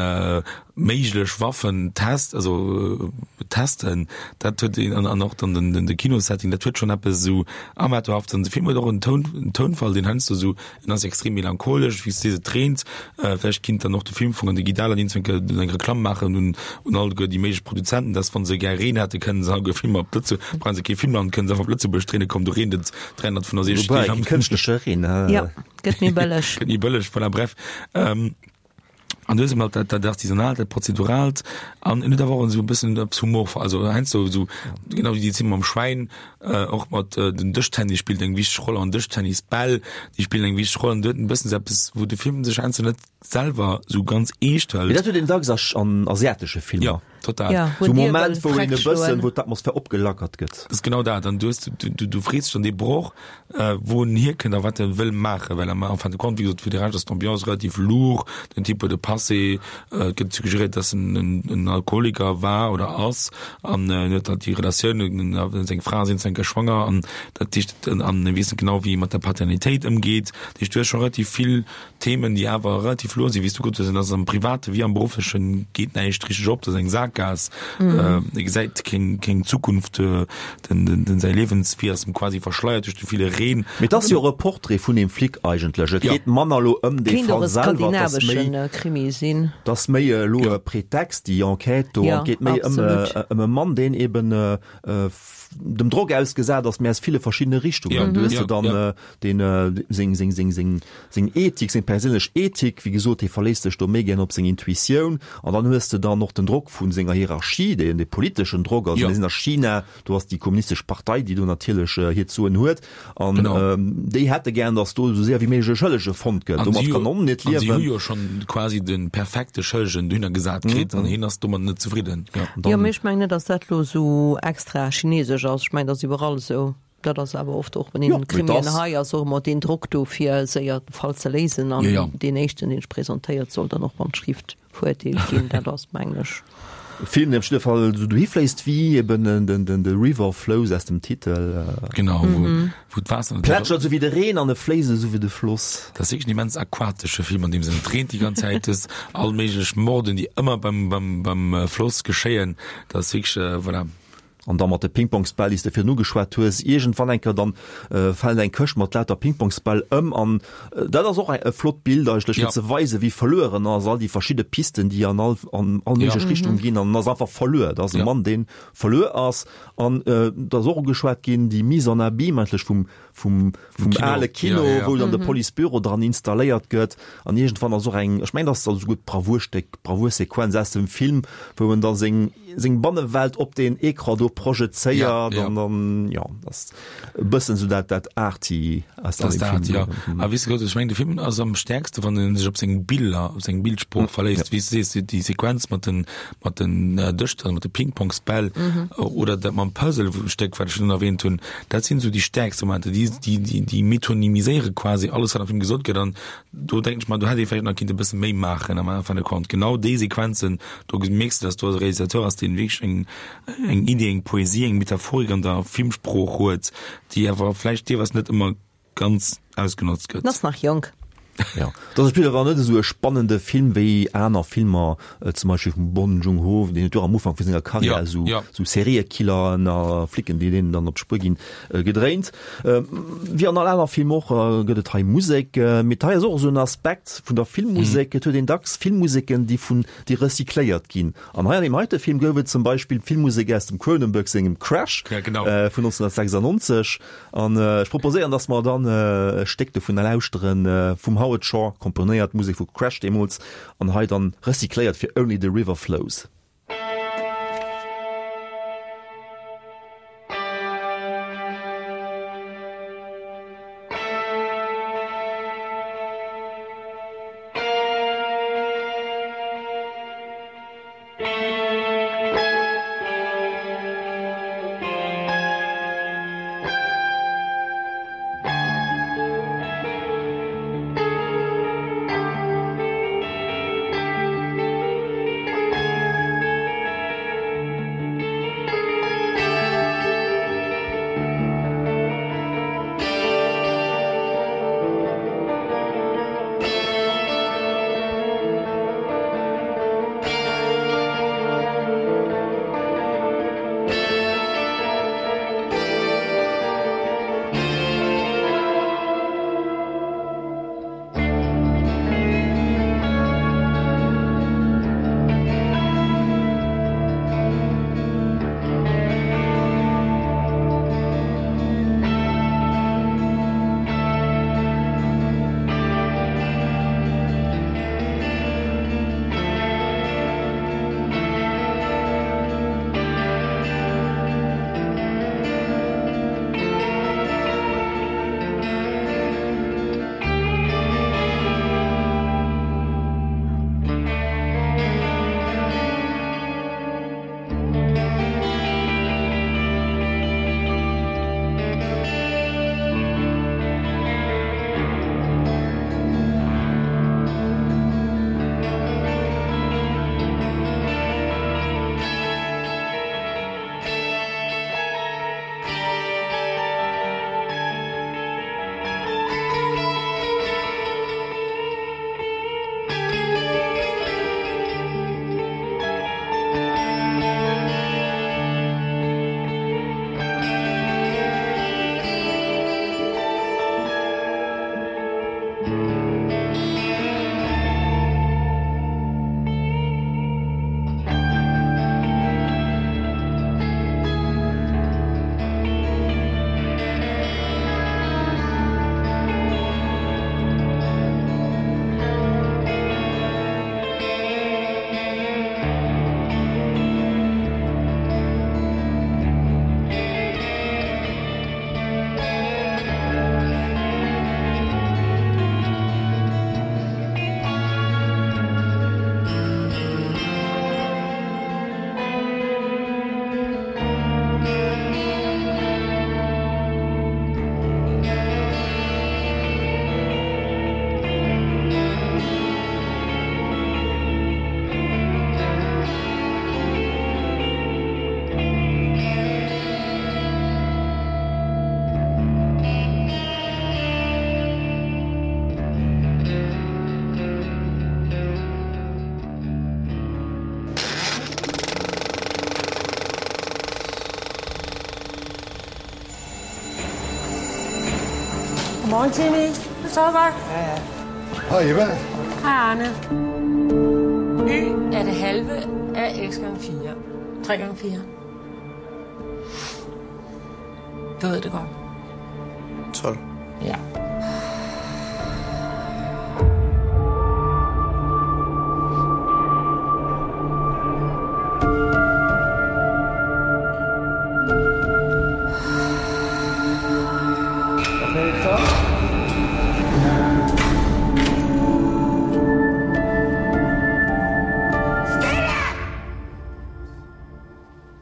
méiglech Waffen test, also testen, dat huet een, an och dann den, de Kinosetting, dat huet schonn eppes esou amateurhaftes. An de Film huet och en Toun, en Tounfall, deen heiansdo esou, en ass extrem melancholesch, wéi s de sees, et reent. Vläicht kinnt dann och de Film vun an de Guy Dahler iergendwann eng Reklamm maachen un, un alleguer déi méiglech Produzenten, dass wa se gär Reen hätte, kënnen se alleguer Filmer op Lëtze, brauche se kee Filmland, kënnen se einfach op Lëtzebuerg dréinen, komm do reent et dräihonnertfënnefonsechzeg Wobei, Deeg am. kee kënschtleche Reen, he? Jo, gëtt méi bëlleg. Gëtt méi bëlleg, voilà, bref. An du hues eben halt dat, dat Artisanaalt, dat Prozeduraalt an en huet awer och esou e bëssen eppes Humor, also heiansdo esou, genau wéi déi Zeen mam Schwäin, och mat den Dëschtennis spillt eng wichteg Roll an Dëschtennisbäll, déi spillen eng wichteg Roll an du huet en bëssen esou eppes, wou de Film sech heiansdo net selwer esou ganz eescht Mee hëlt. Dat huet een dacks a, an asiatesche Filmer. Jo. total. Ja, Sou wou Moment, d'Dier wou wëll een e freck bëssen, schloen. wou d'Atmosphär opgelackert gëtt. Das ist genau dat. An du hues, du, du, du frees dech dann dee Broch, äh, wou en hierkënnt a wat en wëll maachen, well am en fin de compte, wéi gesot, fir de Rescht ass d'Ambiance relativ lourd, den Typ huet e Passé, äh, et gëtt suggeréiert, dass en en, en Alkoholiker war oder ass an äh, en huet halt déi Relatioun, en, en, seng Fra ass eenzel schwanger an dat heescht, an e weess net genau, wéi e mat der Paternitéit ëmgeet. Dat heescht, du hues scho relativ vill Themen, déi awer relativ lourd sinn, wéi s du gesot hues, en ass am Private wéi am Berufflechen geet näischt richteg op, dat ass eng Saakgaass, e gesäit keng, keng Zukunft, den, den, den säi Liewenswee ass em quasi verschleiert duerch de ville Reen. Mee et ass jo och e Portrait vun deem Flic eigentlech. Et Ja. geet manner elo ëm dee Kéint och Fall e selwer, et ass méi, skandinaveschen Krimi sinn. et ass méi elo e Pretext, déi Enquête do, Ja, an et geet méi ëm, absolut. ëm e Mann, deen eben dem Drock ausgesat ass, mee aus ville verschiddene Richtungen. Ja, Du hues ja, de dann ja. deen seng, seng, seng, seng, seng Ethik, seng perséinlech Ethik, wéi gesot, hie verléisst sech do méi gär op seng Intuitioun. An dann hues de dann och den Drock vu senger Hierarchie, deen, dee politeschen Drock, also Ja. mir sinn a China, do ass déi kommunistesch Partei, déi do natierlech hiert Soen huet. An Genau. déi hätte gär, datt do esou séier wéi méiglech e Schëllege fonnt gëtt. An Domat si kann en net an si hu liewen. jo schonn quasi de perfekte Schëllegen dohinner gesat kritt an hien ass domat net zefridden. Ja. Jo, mee ech mengen net, datt dat elo esou extra chinesesch ass. Ech mengen, dat ass iwwerall esou. Dat ass awer oft och bei Jo, den mee Krimien dass. hei ass och ëmmer deen Drock do, fir séier de Fall ze léisen an Jo, jo. deen éischten, deen sech presentéiert, soll dann och beim Schrift verurteelt ginn. Dat ass, mengen ech. Film, deen op jidde Fall esou dohi fléisst wéi eben den, den, den, de River Flows aus dem Titel. Genau, wou, wou d'Waasser natürlich Plätschert esou wéi de Reen an e fléisst esou wéi de Floss. Dat ass wierklech en immens aquatesche Film, an deem Sënn. Et reent déi ganz Zäit, et ass all méiglech Morden, déi ëmmer beim, beim, beim Floss geschéien. Dat ass wierklech, voilà. An da mat de Pingpongsbäll, déi s de virun ugeschwat hues, iergendwann eng Kéier dann fält eng Këscht mat lauter Pingpongsbäll ëm an dat ass och e flott Bild eigentlech, fir ze weisen, wéi verluer en ass, all déi verschidde Pisten, déi an all, an all méiglech Richtung ginn an en ass einfach verluer. Dat ass e Mann, dee verluer ass an et ass och ugeschwat ginn, déi Mise en abyme eigentlech vum, vum, vum ale Kino, wou dann de Policebüro dran installéiert gëtt an iergendwann ass och eng, ech mengen, dat ass esouguer d'Bravour-Stéck, d'Bravour-Sequenz aus dem Film, wou en da seng, seng Bannewelt op deen Ecran do projezéiert an dann, jo, dat ass e bëssen esou dat, dat Arty aus Dat ass dem dat, Film. jo. A weess de, ech mengen, de Film ass am stäerkste, wann en sech op seng Biller, op seng Bildsprooch verléisst, wéi s de sees, déi Sequenz mat den, mat den Dëschter, mat de Pingpongsbäll oder dat mam Puzzle-Stéck, wat ech virun erwähnt hunn, dat sinn esou déi stäerkste Momenter, déi, déi, déi, déi metonymiséiere quasi alles, wat am Film gesot gëtt an do denken ech mer, do hätt ee vläicht nach kinnt e bësse méi maachen am en fin de compte. Genau déi Sequenzen, do mierks de, dass do e Realisateur ass, deen wierklech eng, eng Idee, eng Poesie, eng Metaphorik an der Filmsprooch huet, déi awer vläicht deelweis net ëmmer ganz ausgenotzt gëtt. En ass nach jonk. Jo, dat ass awer net esou e spannende Film wéi aner Filmer, zum Beispill vum Bong Joon-ho, deen huet jo am Ufank vu senger Karriär esou esou Seriekilleren a Flicken, déi deenen dann op d'Spuer ginn, gedréint. Wéi an all aner Film och gëtt et hei Musek, mee hei ass och esou en Aspekt vun der Filmmusek, et huet een dacks Filmmuseken, déi vun déi recycléiert ginn. An hei an deem heite Film gouf et zum Beispill d'Filmmusek aus dem Cronenberg sengem Crash vun neunzehnhundertsechsundneunzeg. An ech proposéieren, dass mer dann e Stéck dovunner lauschteren, vum Howard Shore komponéiert, d'Musek vu Crash deemools, an hei dann recycléiert fir Only the River Flows. Godmorgen, Timmy. Du sover godt? Ja, ja. Hej Eva. Hej, Arne. Y er det halve af x gange fire. tre gange fire. Du ved det godt. tolv. Ja. Okay, stop.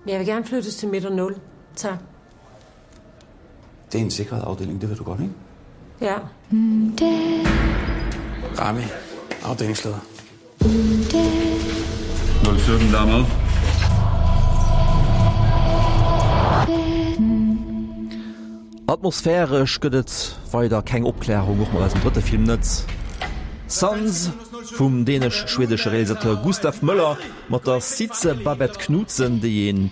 Jeg vil gerne flyttes til midter nul. Tak. Det er en sikret afdeling, det ved du godt, ikke? Ja. Rami, afdelingsleder. nul sytten, der er med. Atmosphäresch gëtt et weider keng Opklärung, och mat eisem drëtte Film net. Sons vum dänesch-schwedesche Realisateur Gustav Möller mat der Sidse Babett Knudsen, déi een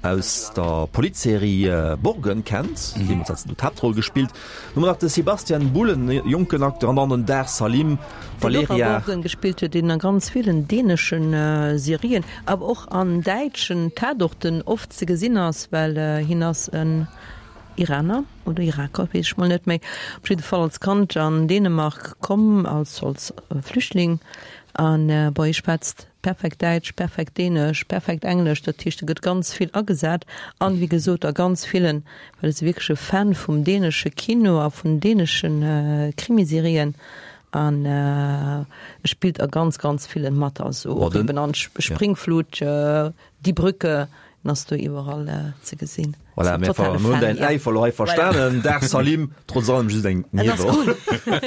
aus der Politserie Borgen kennt, deemools hat se do d'Haaptroll gespillt. Dann hu mer nach de Sebastian Bull, en jonken Acteur, an dann den Dar Salim, Deen och a Valeria. Borgen gespillt huet, deen a ganz villen däneschen Serien, awer och an däitschen Tatorten oft ze gesinn ass, well hien ass en Iraner oder Iraker, weess ech mol net méi, op jidde Fall als Kand an Dänemark komm als als Flüchtling an bon, hie schwätzt perfekt Däitsch, perfekt Dänesch, perfekt Englesch, dat heescht e gëtt ganz vill agesat an wéi gesot a ganz villen, well e ass wierklech e Fan vum dänesche Kino a vun dänesche Krimiserien an e spillt a ganz ganz villen mat, also och eben an Springflut, Die Brücke, en ass do iwwerall ze gesinn. Voilà, mir Totale hunn Fan, däin ja. Äifer elo hei verstanen. Dar Salim, trotz allem just eng En ass Nieweroll. cool.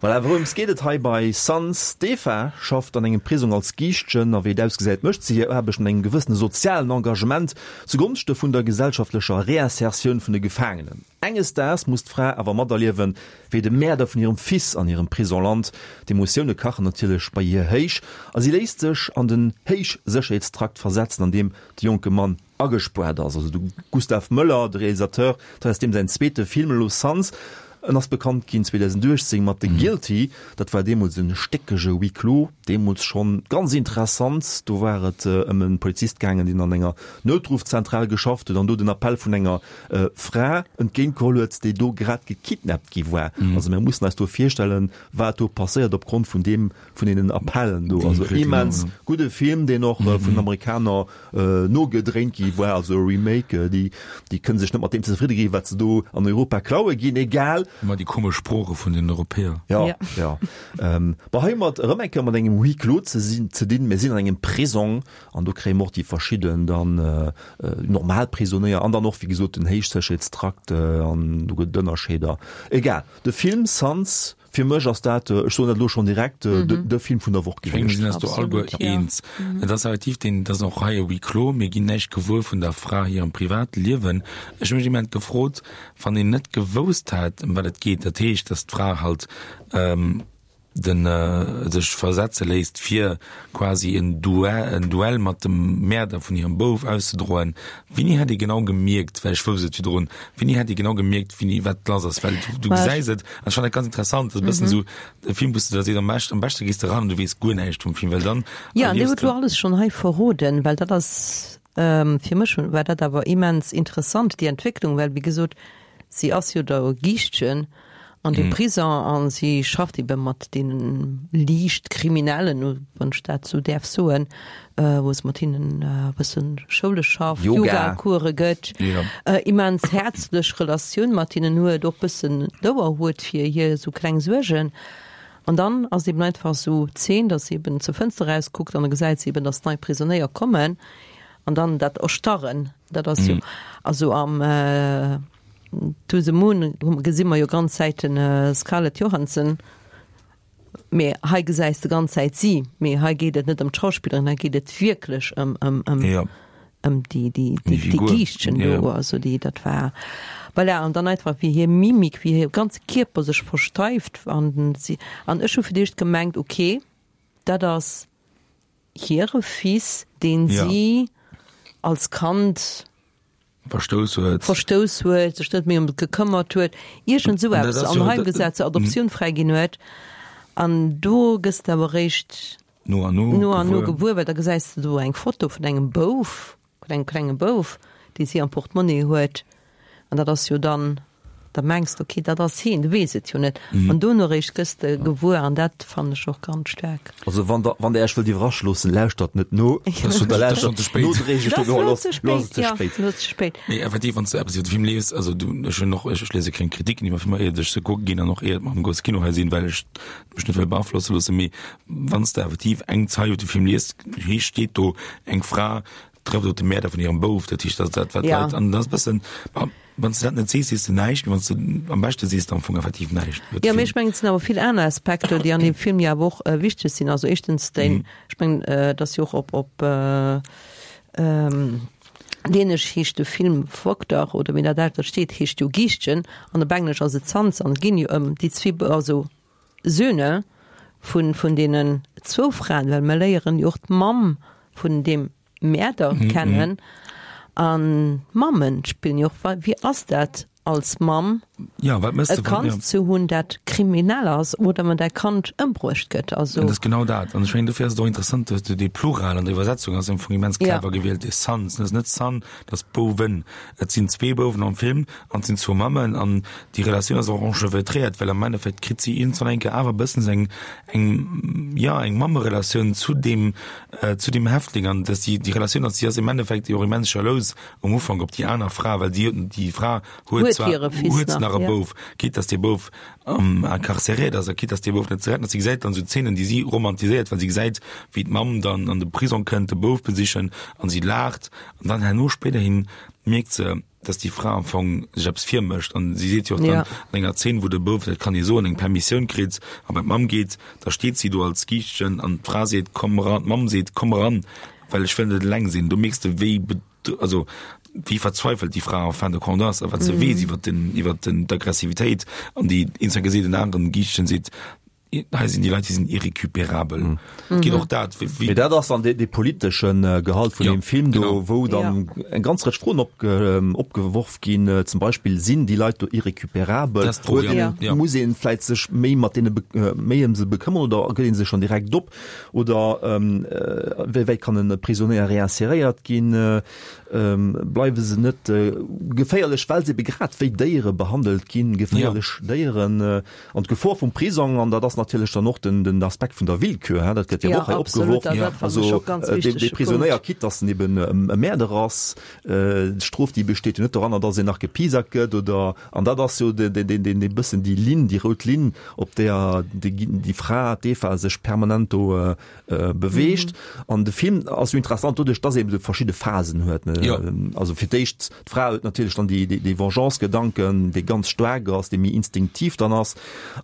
Voilà, wourëms geet et hei bei Sons? D'Eva schafft an engem Prisong als Giischtjen a wéi et ausgesäit, mécht si hir Aarbecht mat engem gewëssene sozialen Engagement zugonschte vun der gesellschaftlecher Reinsertioun vun de Gefaangenen. Enges Daags muss d'Fra awer materliewen, wéi de Mäerder vun hirem Fils an hirem Prisong lant. D'Emotioune kachen natierlech bei hir héich a si léisst sech an den Héichsécherheetstrakt versetzen, an deem de jonke Mann agespuert ass. Also de Gustav Möller, de Realisateur, dat ass deem säin zweete Film elo, Sons. En ass bekannt ginn zweedausendachtzéng mat The Guilty, dat war deemools en stéckege Huis clos, deemools schonn ganz interessant. Do war et ëm e Polizist gaangen, deen an enger Noutruffzentral geschafft huet an do den Appell vun enger Fra entgéint geholl huet, déi do grad gekidnappt gi war. Also mir mussen eis do virstellen, wat do passéiert opgrond vun deem, vun deenen Appellen do. Also immens gudde Film, deen och vun den Amerikaner nogedréint gi war, also e Remake. Déi, déi kënne sech net mat deem zefridde ginn, wat se do an Europa klaue ginn, egal. Ëmmer déi komesch Sprooche vun den Europäer. Ja, ja. Ähm, bon, hei mat erëm eng Kéier mat engem Huis clos ze sinn, ze dinn. Mir sinn an engem Prisong an do kréie mer och déi verschidden dann äh, normal Prisonéier an dann och, wéi gesot, den Héichsécherheetstrakt äh, an do gëtt et Ënnerscheeder. Egal. De Film Sons, fir mech ass dat, ech soen dat elo schonn direkt, de, de Film vun der Woch Ech mengen, mir gewiescht. sinn eis do alleguer Absolut, ja. eens. Et ass effektiv deen, dat ass och hei e Huis clos, mir ginn näischt gewuer vun der Fra hirem Privatliewen. Ech hu mech immens gefrot, wann een net gewousst hätt, ëm wat et geet, dat heescht, dass d'Fra halt ähm, den, äh, sech versetze léisst, fir quasi en Duell, en Duell mat dem Mäerder vun hirem Bouf auszedroen. Wéini hätt ee genau gemierkt, well ech wousst et virdrun, wéini hätt ee genau gemierkt, wéini wat lass ass, well du, du Mä ech- gesäis et, an ech fand dat ganz interessant, dat ass e bëssen esou e Film, wou s du der sees, am beschten, am beschte gees de ran an du weess guer näischt vum Film, well dann Ja, an dir erliefs hutt lo de. alles schonn hei verroden, well dat ass, ähm, fir mech war dat awer immens interessant, déi Entwécklung, well wéi gesot, si ass jo da Giischtjen an dem Prison an si schafft ebe mat deenen liicht Kriminellen, wann ech dat sou däerf soen, wou se mat hinnen e bëssen Schoule schafft, Yoga. Yoga-Course gëtt, Ja. immens häerzlech Relatioun mat hinnen huet, och bëssen douer huet fir hir sou kleng Suergen. An dann ass eben einfach sou d'Zeen, dass si eben zur Fënster erauskuckt an da gesäit si eben, dass nei Prisonéier kommen an dann dat Erstarren, dat ass jo, also am To the Moon gesi mer jo ganz Zäit den Scarlett Johansson, mee hei gesäis de ganz Zäit si, mee hei geet et net ëm d'Schauspillerin, hei geet et wierklech ëm ëm ëm Ja. ëm déi déi Déi déi Figur. Giischtchen do, Ja. also déi dat war voilà an dann einfach wéi hir Mimik, wéi hir ganze Kierper sech versteift an si an ech hu fir d'éischt gemengt, okay, dat ass hire Fils, deen Ja. si als Kand Verstouss huet. Verstouss huet, sech net méi ëm et gekëmmert huet, iergend esou An dat eppes, ass an jo, heim dat, gesat, zur Adoptioun fräiginn huet. An do gëss de awer eréischt no an no no an no gewuer. gewuer, well da gesäis de do eng Foto vun engem Bouf, vun engem klenge Bouf, dee si am Portemonnaie huet. An dat ass jo dann, da mengs de, okay, dat ass hien, du weess et jo net. An dono eréischt gëss de gewuer, an dat fannen ech och ganz staark. Also wann der, wann der Iech wëllt iwwerrasche loossen, lauschtert net no. Dat ass schon, Oder dat ass lauschtert schon ze spéit. nodréiglech Dat do, ass lo lo ass ze lo ass spéit, et ze ja, spéit. lo ass ze spéit. Nee, effektiv, wann s du eppes iwwer de Film liest, also du, ech hunn och, ech, ech lese keng Kritiken iwwer Filmer, iert ech se kucke ginn an och iert mer am grousse Kino hei sinn, well ech mech net wëll beaflosse loossen, mee wann s de effektiv eng Zeil iwwer de Film liest, hei steet do, eng Fra trëfft op de Mäerder vun hirem Bouf, dat heescht, dat dat wat Ja. Leit, an dat ass bëssen, ma wann s du dat net sees, sees du näischt, mee wann s du am beschte sees du am Fong effektiv näischt iwwer de Ja, mee Film. ech mengen, et sinn awer vill aner Aspekter, déi an deem Film jo awer och äh, wichteg sinn. Also éischtens den, Mhm. ech mengen, äh, dass jo och op, op äh, ähm, Dänesch heescht de Film Vogter oder wéi dat dat steet, heescht jo Giischtjen, an op Englesch ass et Sons, an et ginn jo ëm déi zwee, also Söhne vun, vun deenen zwou Fraen, well mer léieren jo och d'Mamm vun deem Mäerder Mhm, kennen. An Mammen spillen jo och, wéi ass dat als Mamm, Ja, wat mëss e de wann, Kand ja. ze hunn, dat kriminell ass oder wann däi Kand ëmbruecht gëtt? Also Dat ass genau dat. An ech mengen, dofir ass et och interessant, dass du dee Plural an der Iwwersetzung ass am Fong immens Ja. clever gewielt, dee Sons. Dat ass net Son, dat ass Bouwen. Et sinn zwee Bouwen am Film an et sinn zwou Mammen an déi Relatioun ass och enchevêtréiert, well am Endeffekt kritt si iergendwann eng Kéier awer e bëssen eng, eng, ja, eng Mammerelatioun zu deem, äh, zu deem Häftling an dass déi, déi Relatioun ass, si ass im Endeffekt jo och immens jalous um Ufank op déi aner Fra, well déi, déi Fra huet Huet zwar, hire Fils huet nach, nach e ja. Bouf, quitte dass dee Bouf ähm, incarcériert ass, quitte dass dee Bouf net ze retten ass. Si gesäit dann sou Zeenen, déi si romantiséiert, well si gesäit, wéi d'Mamm dann an de Prisong kënnt, de Bouf besichen an si laacht an dann herno spéiderhin mierkt se, dass déi Fra am Fong sech eppes virmécht an si seet jo och dann Ja. an enger Zeen, wou de Bouf, dat kann ee soen, eng Permissioun kritt a bei d'Mamm geet, da steet si do als Giischtjen an d'Fra seet, komm eran, d'Mamm seet, komm eran, well ech wëll net eleng sinn. Du mierks de, wéi bet-, also wéi verzweifelt déi Fra en fin de compte ass, a wat se weess iwwer den, iwwer den, d'Aggressivitéit an déi instant geseet den aneren Giischtjen seet, hei sinn déi Leit, déi sinn irrécupérabel. Et geet och dat, wéi, wéi Mee dat ass dann dee, dee politeschen Gehalt vun Ja, deem Film do, genau. wou dann eng ganz Rëtsch Froen opge, opgeworf ginn, zum Beispill, sinn déi Leit do irrécupérabel? Dat ass d'Fro, Huet ja. een, Ja. muss een vläit sech méi mat deene be, méi ëm se bekëmmern oder gëtt een se schonn direkt op? Oder ähm, wéi wäit kann en Prisonéier réinséréiert ginn? Ähm, bleiwe se net geféierlech, well se ebe grad wéi Déiere behandelt ginn, geféierlech Déieren, an d'Gefor vum Prisong, an dat ass natierlech dann och den, den Aspekt vun der Willkür, hä, dat gëtt jo Ja, och hei absolut, opgeworfen. dat, dat fand Also, ech och ganz äh, dee, dee wichtege Prisonéier, Punkt. quitte dass en eben e Mäerder ass, äh, d'Strof, déi besteet jo net doranner, dass en nach gepiesackt gëtt oder, an dat ass jo de, de, de, de, de bëssen déi Linn, déi rout Linn, op där déi, déi Fra, d'Eva, sech permanent do, äh, äh, beweegt. An de Film ass jo interessant doduerch, dass e eben verschidde Phasen huet, ne? Ja. Also fir d'éischt, d'Fra huet natierlech dann déi, déi, déi Vengeance-Gedanken, dee ganz staark ass, dee méi instinktiv dann ass.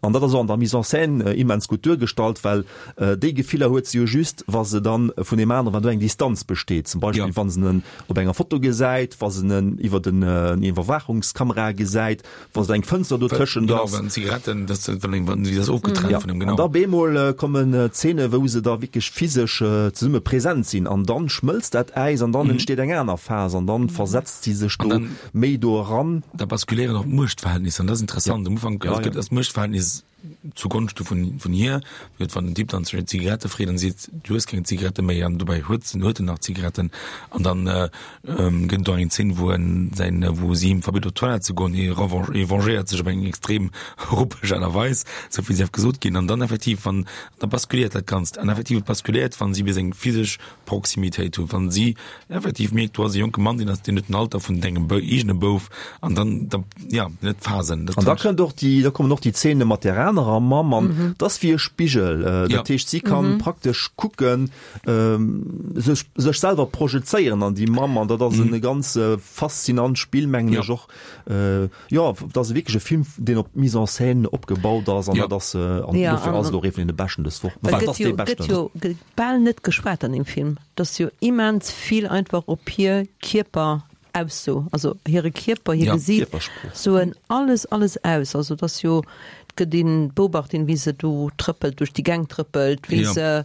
An dat ass och an der Mise en scène, äh, immens gutt duergestallt, well, äh, déi Gefiller huet se jo just, wa se dann vun deem aneren, wann do eng Distanz besteet. Zum Beispill, Ja. wann se en op enger Foto gesäit, wa se en iwwer den, äh, Iwwerwaachungskamera gesäit, wa se eng Fënster do tëschent Genau, ass. wann Zigaretten, das, wann, wann sie das ofgetrennt Ja. von dem, An genau. da bemol, äh, kommen, äh, Szene, wou se da wierklech physesch, äh, zesumme präsent sinn. An dann schmëlzt dat Äis an dann Mhm. entsteet eng aner Phas an dann versetzt si sech An do dann méi do eran. Da baskulieren och d'Muechtverhältnisser, an das ist interessant. Ja. Am Ufank, Ja, also ja. gëtt das Muechtverhältnis zugonschte vun, vun hir, huet wann den Typ dann zu Zigarette freet, dann seet, du hues keng Zigarette méi, an dobäi huet se, huet en nach Zigaretten. An dann, äh, ähm, gëtt do eng Szene, wou en säin, wou si him verbitt, op d'Toilette ze goen, hie revanche, hie vengéiert sech op eng extrem ruppeg Aart a Weis, sou wéi sief gesot ginn. An dann effektiv, wann, da baskuliert dat Ganzt. An effektiv baskuliert, wann si bis eng physesch Proximitéit hunn, wann si effektiv mierkt, du ass e jonke Mann, deen ass, deen huet den Alter vun dengem Bou-, eegene Bouf, an dann, da, ja, net Phasen. Dat An da fand ich kënnt och déi, da kommen och déi Szene mat der anerer Mamm an Mhm. das ass wéi e Spigel. Äh, Ja. dat heescht, si kann Mhm. praktesch kucken, ähm, sech, sech selwer projezéieren an déi Mamm, an dat ass Mhm. e ganz, äh, faszinant Spill, mengen Ja. ech och. Äh, ja, dat ass wierklech e Film, deen op Mise en scène opgebaut ass, an Ja. dat ass, äh, an Ja, dofir an ass et och ee vun de beschten dës Woch. Well Well, gëtt dat ass jo, dee beschten. gëtt jo, gëtt bal net geschwat an dem Film. Dat ass jo immens vill einfach op hir Kierper Ausso, also hire Kierper, hir Ja, Gesiit, Kierpersprooch. soen alles, alles aus. Also dat ass jo, gëtt een beobacht, wéi se do trëppelt, duerch déi Gäng trëppelt, wéi Ja. se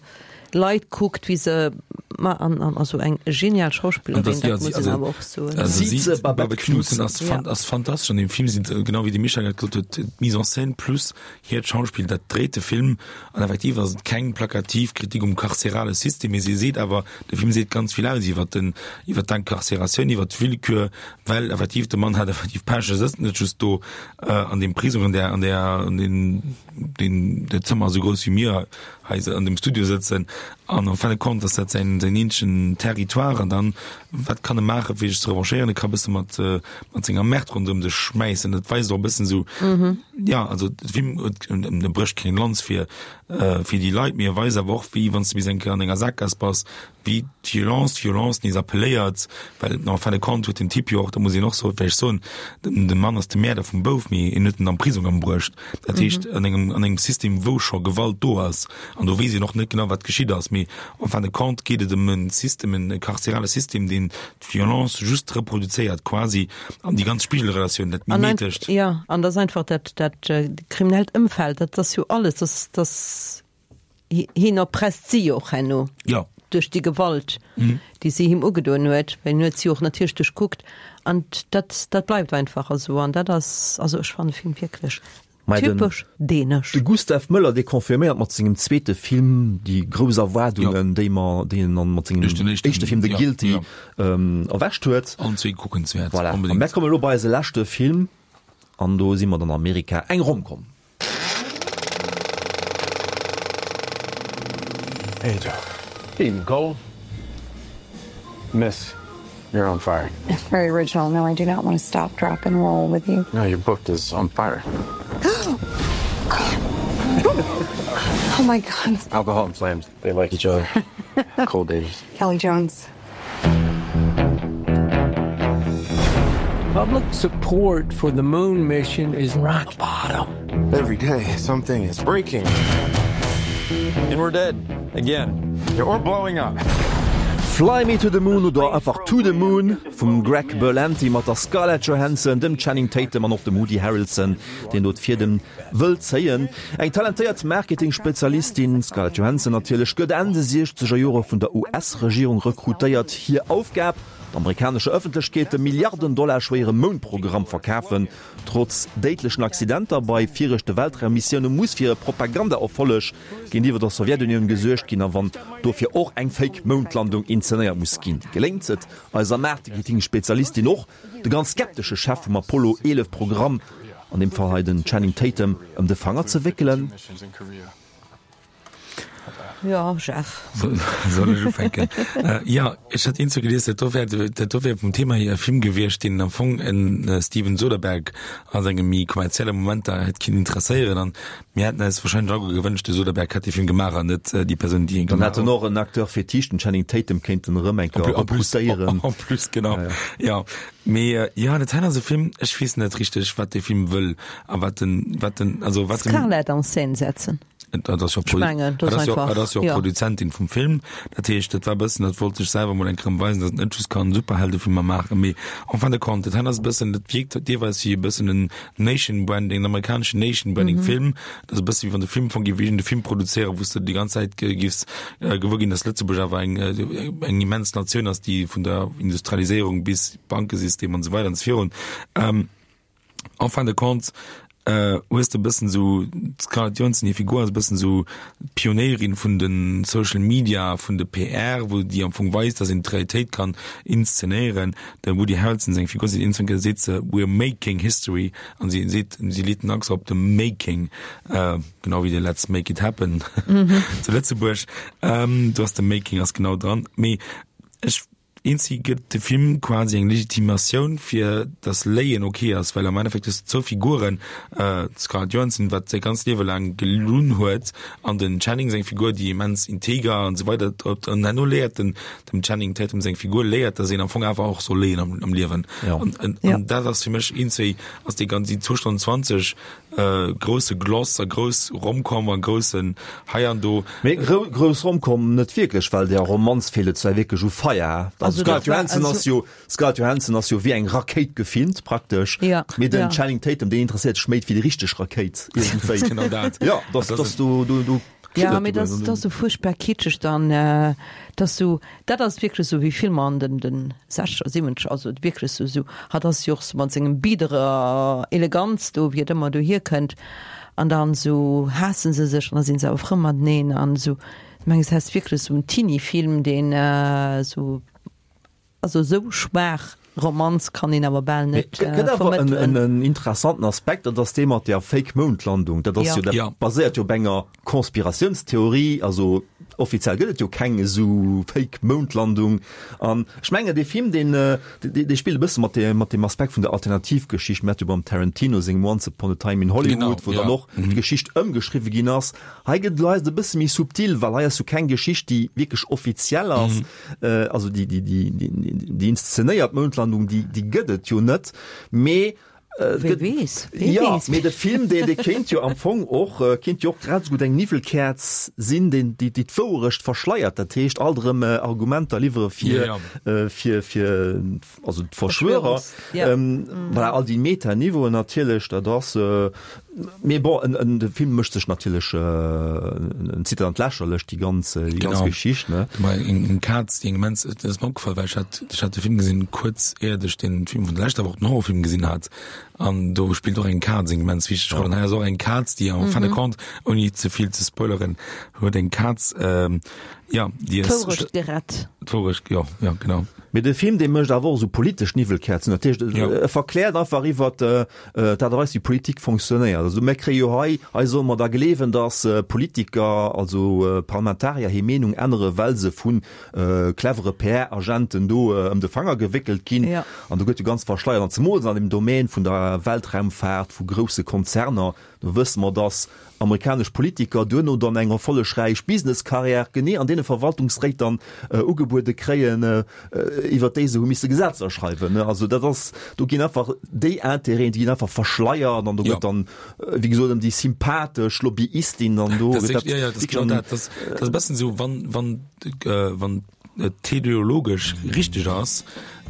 Leit kuckt, wéi se Ma an, an also eng genial Schauspillerin, das, dat ja, muss sie, een also, awer och soen. also Sie, sie, Babette Babette Knudsen Knudsen. ass, fan, Ja. ass fantastesch an dem Film sinn genau wéi de Micha grad gesot huet d'Mise en scène plus hiert Schauspiel dat dréit de Film an effektiv ass et keng plakativ Kritik um karzerale System mee si seet awer de Film seet ganz vill aus iwwer den iwwer d'Incarcératioun iwwer d'Willkür well effektiv de Mann hat effektiv Pech e sëtzt net just do äh, an dem Prisong an der an der an den den der Zëmmer esou grouss wéi mir hei an dem Studio sëtzen an en fin de compte ass dat säin säin eenzegen Territoire an dann wat kann e maache fir sech ze revanchéieren e ka bësse mat äh, mat senger Merd ronderëm sech schmäissen dat weist och e bëssen sou Mhm. ja also de Film huet e brécht keng Lanz fir äh, fir déi Leit mee e weist awer och wéi wann s du bis eng Kéier an enger Sakgaass bass wéi d'Violence d'Violence nees appelléiert well en fin de compte huet den Typ jo och da muss een och so vläicht soen den de Mann ass de Mäerder vum Bouf mee en huet en am Prisong ëmbruecht dat heescht Mhm. an engem an engem System wou scho Gewalt do ass an do weess een och net genau wat geschitt ass mee en fin de compte geet et ëm en System en karzelare System deen d'Violence just reproduzéiert quasi an déi ganz Spigelrelatioun dat An ein, mimetescht ja, an das einfach dat dat äh, kriminellt Ëmfeld, dat ass jo alles, das, das hien erpresst si jo och herno. Ja. Duerch déi Gewalt, Mhm. déi si him ugedoen huet, well en huet si och natierlech duerchkuckt an dat dat bleift einfach esou an dat ass also ech fannen de Film wierklech Mei den- typesch dänesch. De Gustav Möller dee confirméiert mat sengem zweete Film déi grouss Erwaardungen, déi mer déi en mat sengem Duerch den éischten- éischte Film The ja, Guilty ja. ähm, erwächt huet. Allen zwee kuckenswäert. Voilà. An Onbedéngt. mir komme lo bei eise leschte Film an do si mer dann Amerika eng Romcom. Hey, Joe. Hey, Nicole. Miss, you're on fire. Very original. No, I do not want to stop, drop, and roll with you. No, your book is on fire. Oh my God. Alcohol and flames, they like each other. Cole Davis. Kelly Jones. Public support for the moon mission is rock bottom. Every day, something is breaking. And we're dead. Again. Or blowing up. Fly Me to the Moon oder einfach To the Moon vum Greg Berlanti mat der Scarlett Johansson, dem Channing Tatum an och dem Woody Harrelson, deen do d'Fiedem wëll zéien. Eng talentéiert Marketing-Spezialistin Scarlett Johansson natierlech gëtt Enn de siechzeger Jore vun der U S-Regierung rekrutéiert. Hir Aufgab, der amerikanescher Ëffentlechkeet de Milliarden-Dollar schwéiere Moundprogramm verkafen. Trotz déidlechen Accidenter bei viregte Weltraummissioune muss fir e Propagandaerfolleg géintiwwer der Sowjetunioun gesuergt ginn, a wann dofir och eng Fake-Moundlandung inszenéiert muss ginn, geléngt et eiser Marketing-Spezialistin och, de ganz skeptesche Chef vum Apollo eelef Programm, an deem Fall hei den Channing Tatum, ëm de Fanger ze wéckelen. Ja, Jeff. Soll ech ufänken? Äh, ja, ech hat iergendwou gelies, dat do wär, dat do wär vum Thema hier e Film gewiescht, deen am Fong en äh, Steven Soderbergh a senge méi kommerzielle Momenter hätt kinnen interesséieren an mir hätten eis wahrscheinlech och gewënscht, de Soderbergh hätt de Film gemaach an net äh, déi Persoun, déi en Dann gemaach hätt en och en Acteur fétiche, den Channing Tatum kéinten erëm eng Kéier En plus, rekrutéieren. en plus, genau. Ja, ja. Ja, mee äh, ja, dat hei ass e Film, ech weess net richteg, wat de Film wëll a wat den, wat den, also wat den, Scarlett an Scène setzen. Dat ass jo Ech mengen, dat dat ass ass jo, einfach, dat ass jo ja. Produzentin vum Film. Dat heescht, dat war bëssen, dat wollt sech selwer mol eng Kéier weisen, dass en net just kann Superheldefilmer maachen, mee en fin de compte, dat hei ass e bëssen, dat wierkt deelweis wéi e bëssen en Nation Branding, en amerikaneschen Nation Branding Mhm. Film. Dat ass e bësse wéi wann de Film vun géif de Film produzéieren, wou s du déi ganz Zäit ge- giffs äh, gewuer ginn, dass Lëtzebuerg awer eng, äh, eng immens Natioun ass, déi vun der Industrialiséierung bis Bankesystem an esou weider an esou virun. Ähm, en fin de compte äh, hues de bëssen sou d'Scarlett Johansson hir Figur ass e bëssen sou d'Pionéierin vun de Social Media, vun de P R, wou déi am Fong weist, dass een d'Realitéit kann inszenéieren. De Woody Harrelson seng Figur seet iergendwann seet se we're making history an si seet si leet den Accent op de making, äh, genau wéi de Let's make it happen Mhm. zu Lëtzebuerg. Ähm, do ass de making ass genau dran. Mee ech iergendwéi gëtt de Film quasi eng Legitimatioun fir dass Léien okay ass, well am Endeffekt hues du zwou Figuren, äh, d'Scarlett Johansson, wat säi ganzt Liewe laang gelunn huet, an den Channing seng Figur, déi immens integer an esou weider an herno léiert den dem Channing Tatum seng Figur léiert, dass een am Fong einfach och soll léien am, am Liewen. Ja. An, an, Ja. an dat ass fir mech iergendwéi ass déi ganz déi zwou Stonnen zwanzeg äh, grousse Gloss a grouss Romcom a groussen hei an do. Mee grou, grouss Romcom net wierklech, well der Romanz feelt et zwar wierklech u Feier. Also Also Scarlett dat war- Johansson also- ass jo Scarlett Johansson ass jo wéi eng Rakéit gefilmt praktesch. Ja, Mee den ja. Channing Tatum, deen interesséiert sech méi fir déi richteg Rakéit iergendwéi. Genau dat. Ja, das, Dat das du, du, du Ja, mee dat ass sou fuerchtbar kitscheg dann, dat ass sou, dat ass wierklech sou wéi Filmer an den den sechzeger, siwwenzeger, also wierklech sou sou, hatt ass jo och sou mat sengem biederer Eleganz do, wéi et ëmmer dohier kënnt an dann sou haassen se sech an da sinn se awer frou mateneen an sou, ech mengen, et ass wierklech sou en Teenie-Film, deen sou. Also esou schwaach Romanz kann een awer bal net Gëtt awer en, vermëttelen. en, en interessanten Aspekt, dat ass dee mat der Fake-Moundlandung. Dat ass Ja. jo, dat Ja. baséiert jo op enger Konspiratiounstheorie, also offiziell gëtt et jo keng esou Fake-Moundlandung. An ech mengen, dee Film, deen, äh, dee, dee spillt e bësse mat dem, mat dem Aspekt vun der Alternativgeschicht. Mir hate jo beim Tarantino sengem Once Upon a Time in Hollywood, Genau, wou dann ja. och d'Geschicht ëmgeschriwwe ginn ass. Hei gëtt et elo e bësse méi subtil, well hei ass jo keng Geschicht, déi wierklech offiziell ass. Äh, also déi, déi, déi, déi, déi inszenéiert Moundlandung, déi, déi gëtt et jo net. Mee äh, Wie gëtt- weess, wie Ja, weess. mee de Film, dee, dee kéint jo am Fong och, äh, kéint jo och grad esou gutt eng Niwwelkäerz sinn, deen, déi, déi d'Wouerecht verschleiert. Dat heescht, alt erëm äh, Argumenter liwwere fir, Ja, äh, fir, fir also d'Verschwörer. Verschwörungs- ja. Ähm, voilà, all déi Metaniveauen natierlech, dat ass, äh, mee bon, en, en, de Film mécht sech natierlech, äh, en zitt an d'Lächerlecht déi ganz, äh, déi ganz Genau. Geschicht, ne? Mä eng, eng Kaz, déi eng immens, dat ass mir opgefall, well ech hat, ech hat de Film gesinn kuerz éiert ech den Film vun der leschter Woch, den Horrorfilm gesinn hat. An do spillt och eng Kaz eng immens wichteg Roll. An hei ass och eng Kaz, déi en fin de compte, ouni ze vill ze spoileren, huet eng Kaz, ähm, ja, déi ass D'Wourecht gerett. D'Wourecht, jo, ja, genau. Mee de Film, dee mécht awer och esou politesch Niwwelkäerzen. Dat heescht, Ja. e verkläert einfach iwwer d'Aart a Weis, wéi Politik fonctionnéiert. Also mir kréie jo hei, hei solle mer da gleewen, datt Politiker, also Parlamentarier hir Meenung ännere well se vu clevere P R-Agenten do ëm de Fanger gewéckelt ginn. Ja. An do gëtt jo ganz verschleiert, an zemools an dem Domaine vun der Weltraumfaart, vu grousse Konzerner, do wësse mer, datt amerikanesch Politiker duerno dann eng erfollegräich Businesskarriär genee an deene Verwaltungsréit dann ugebuede kréien, iwwer déi se hu misse Gesetzer schreiwen. Also dat ass, do ginn einfach déi Intérêten, déi ginn einfach verschleiert an do gëtt dann, wéi gesot, ëm déi sympathesch Lobbyistin dann do Dat ass, ja, ja, dat ass genau dat. Dat ass, dat ass e bëssen esou, wann, wann, wann et teleologesch richteg ass,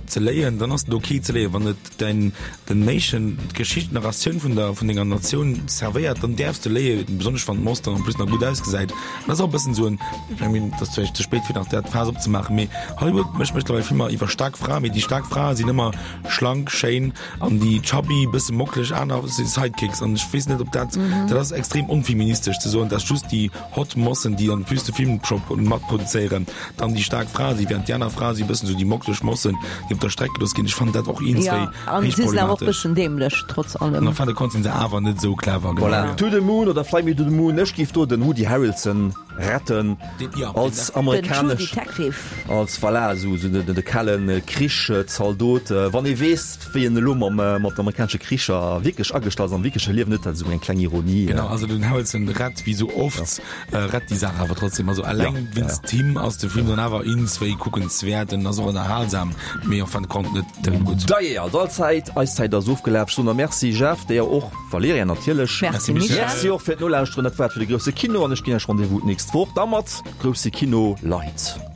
ze léien, dann ass et ok ze léien. Wann et däin, den Nation, d'Geschicht, d'Narratioun vun der, vun denger Natioun servéiert, dann däerfs de léien, besonnesch wann d'Moss dann en plus nach gutt ausgesäit. Dat ass och e bëssen esou en, ech mengen, et ass vläicht ze spéit fir nach dat Faass opzemaachen, mee Hollywood mécht mëttlerweil Filmer iwwer staark Fraen, mee déi staark Frae sinn ëmmer schlank, schéin an déi chubby, bësse mockeleg aner si Sidekicks. An ech weess net, ob dat, dat ass extrem onfeministesch ze soen, dass just déi hot Mossen, déi en plus de Filmshop matproduzéieren, dann déi staark Frae sinn, während déi aner Frae si bëssen esou déi mockeleg Mossen, déi op der Streck gelooss ginn. Ech fannen dat och eens Ja, wéi an héich si sinn awer och problematesch. bëssen dämlech, trotz allem. An en fin de compte sinn se awer net esou clever, genau. Voilà, To the Moon oder Fly Me to the Moon, ech giff do den Woody Harrelson retten Den, ja, als den, amerikanesch, Den True Detective. als voilà, esou esou de, de kalen Krichszaldot. Wann ee weess, wéi en elo mam, mat amerikanesche Kricher wierklech agestallt ass am wierkleche Liewen, huet dat esou eng kleng Ironie. Genau, also den Harrelson rett wéi sou oft, ja. rett déi Saach awer trotzdem. Also alleng ja, wéinst ja. him ass de Film dann awer eens wéi kuckenswäert, en ass och ënnerhalsam, mee en fin de compte net nëmme gutt. Dajee, also all Zäit, eis Zäit ass ofgelaf. Ech soen der Merci Jeff, dir och Valerija natierlech. Merci Michel. Merci och fir d'Nolauschteren. Dat war et fir de Grousse Kino an ech ginn iech Rendez-vous d'nächst Woch da mat Grousse Kino Leit.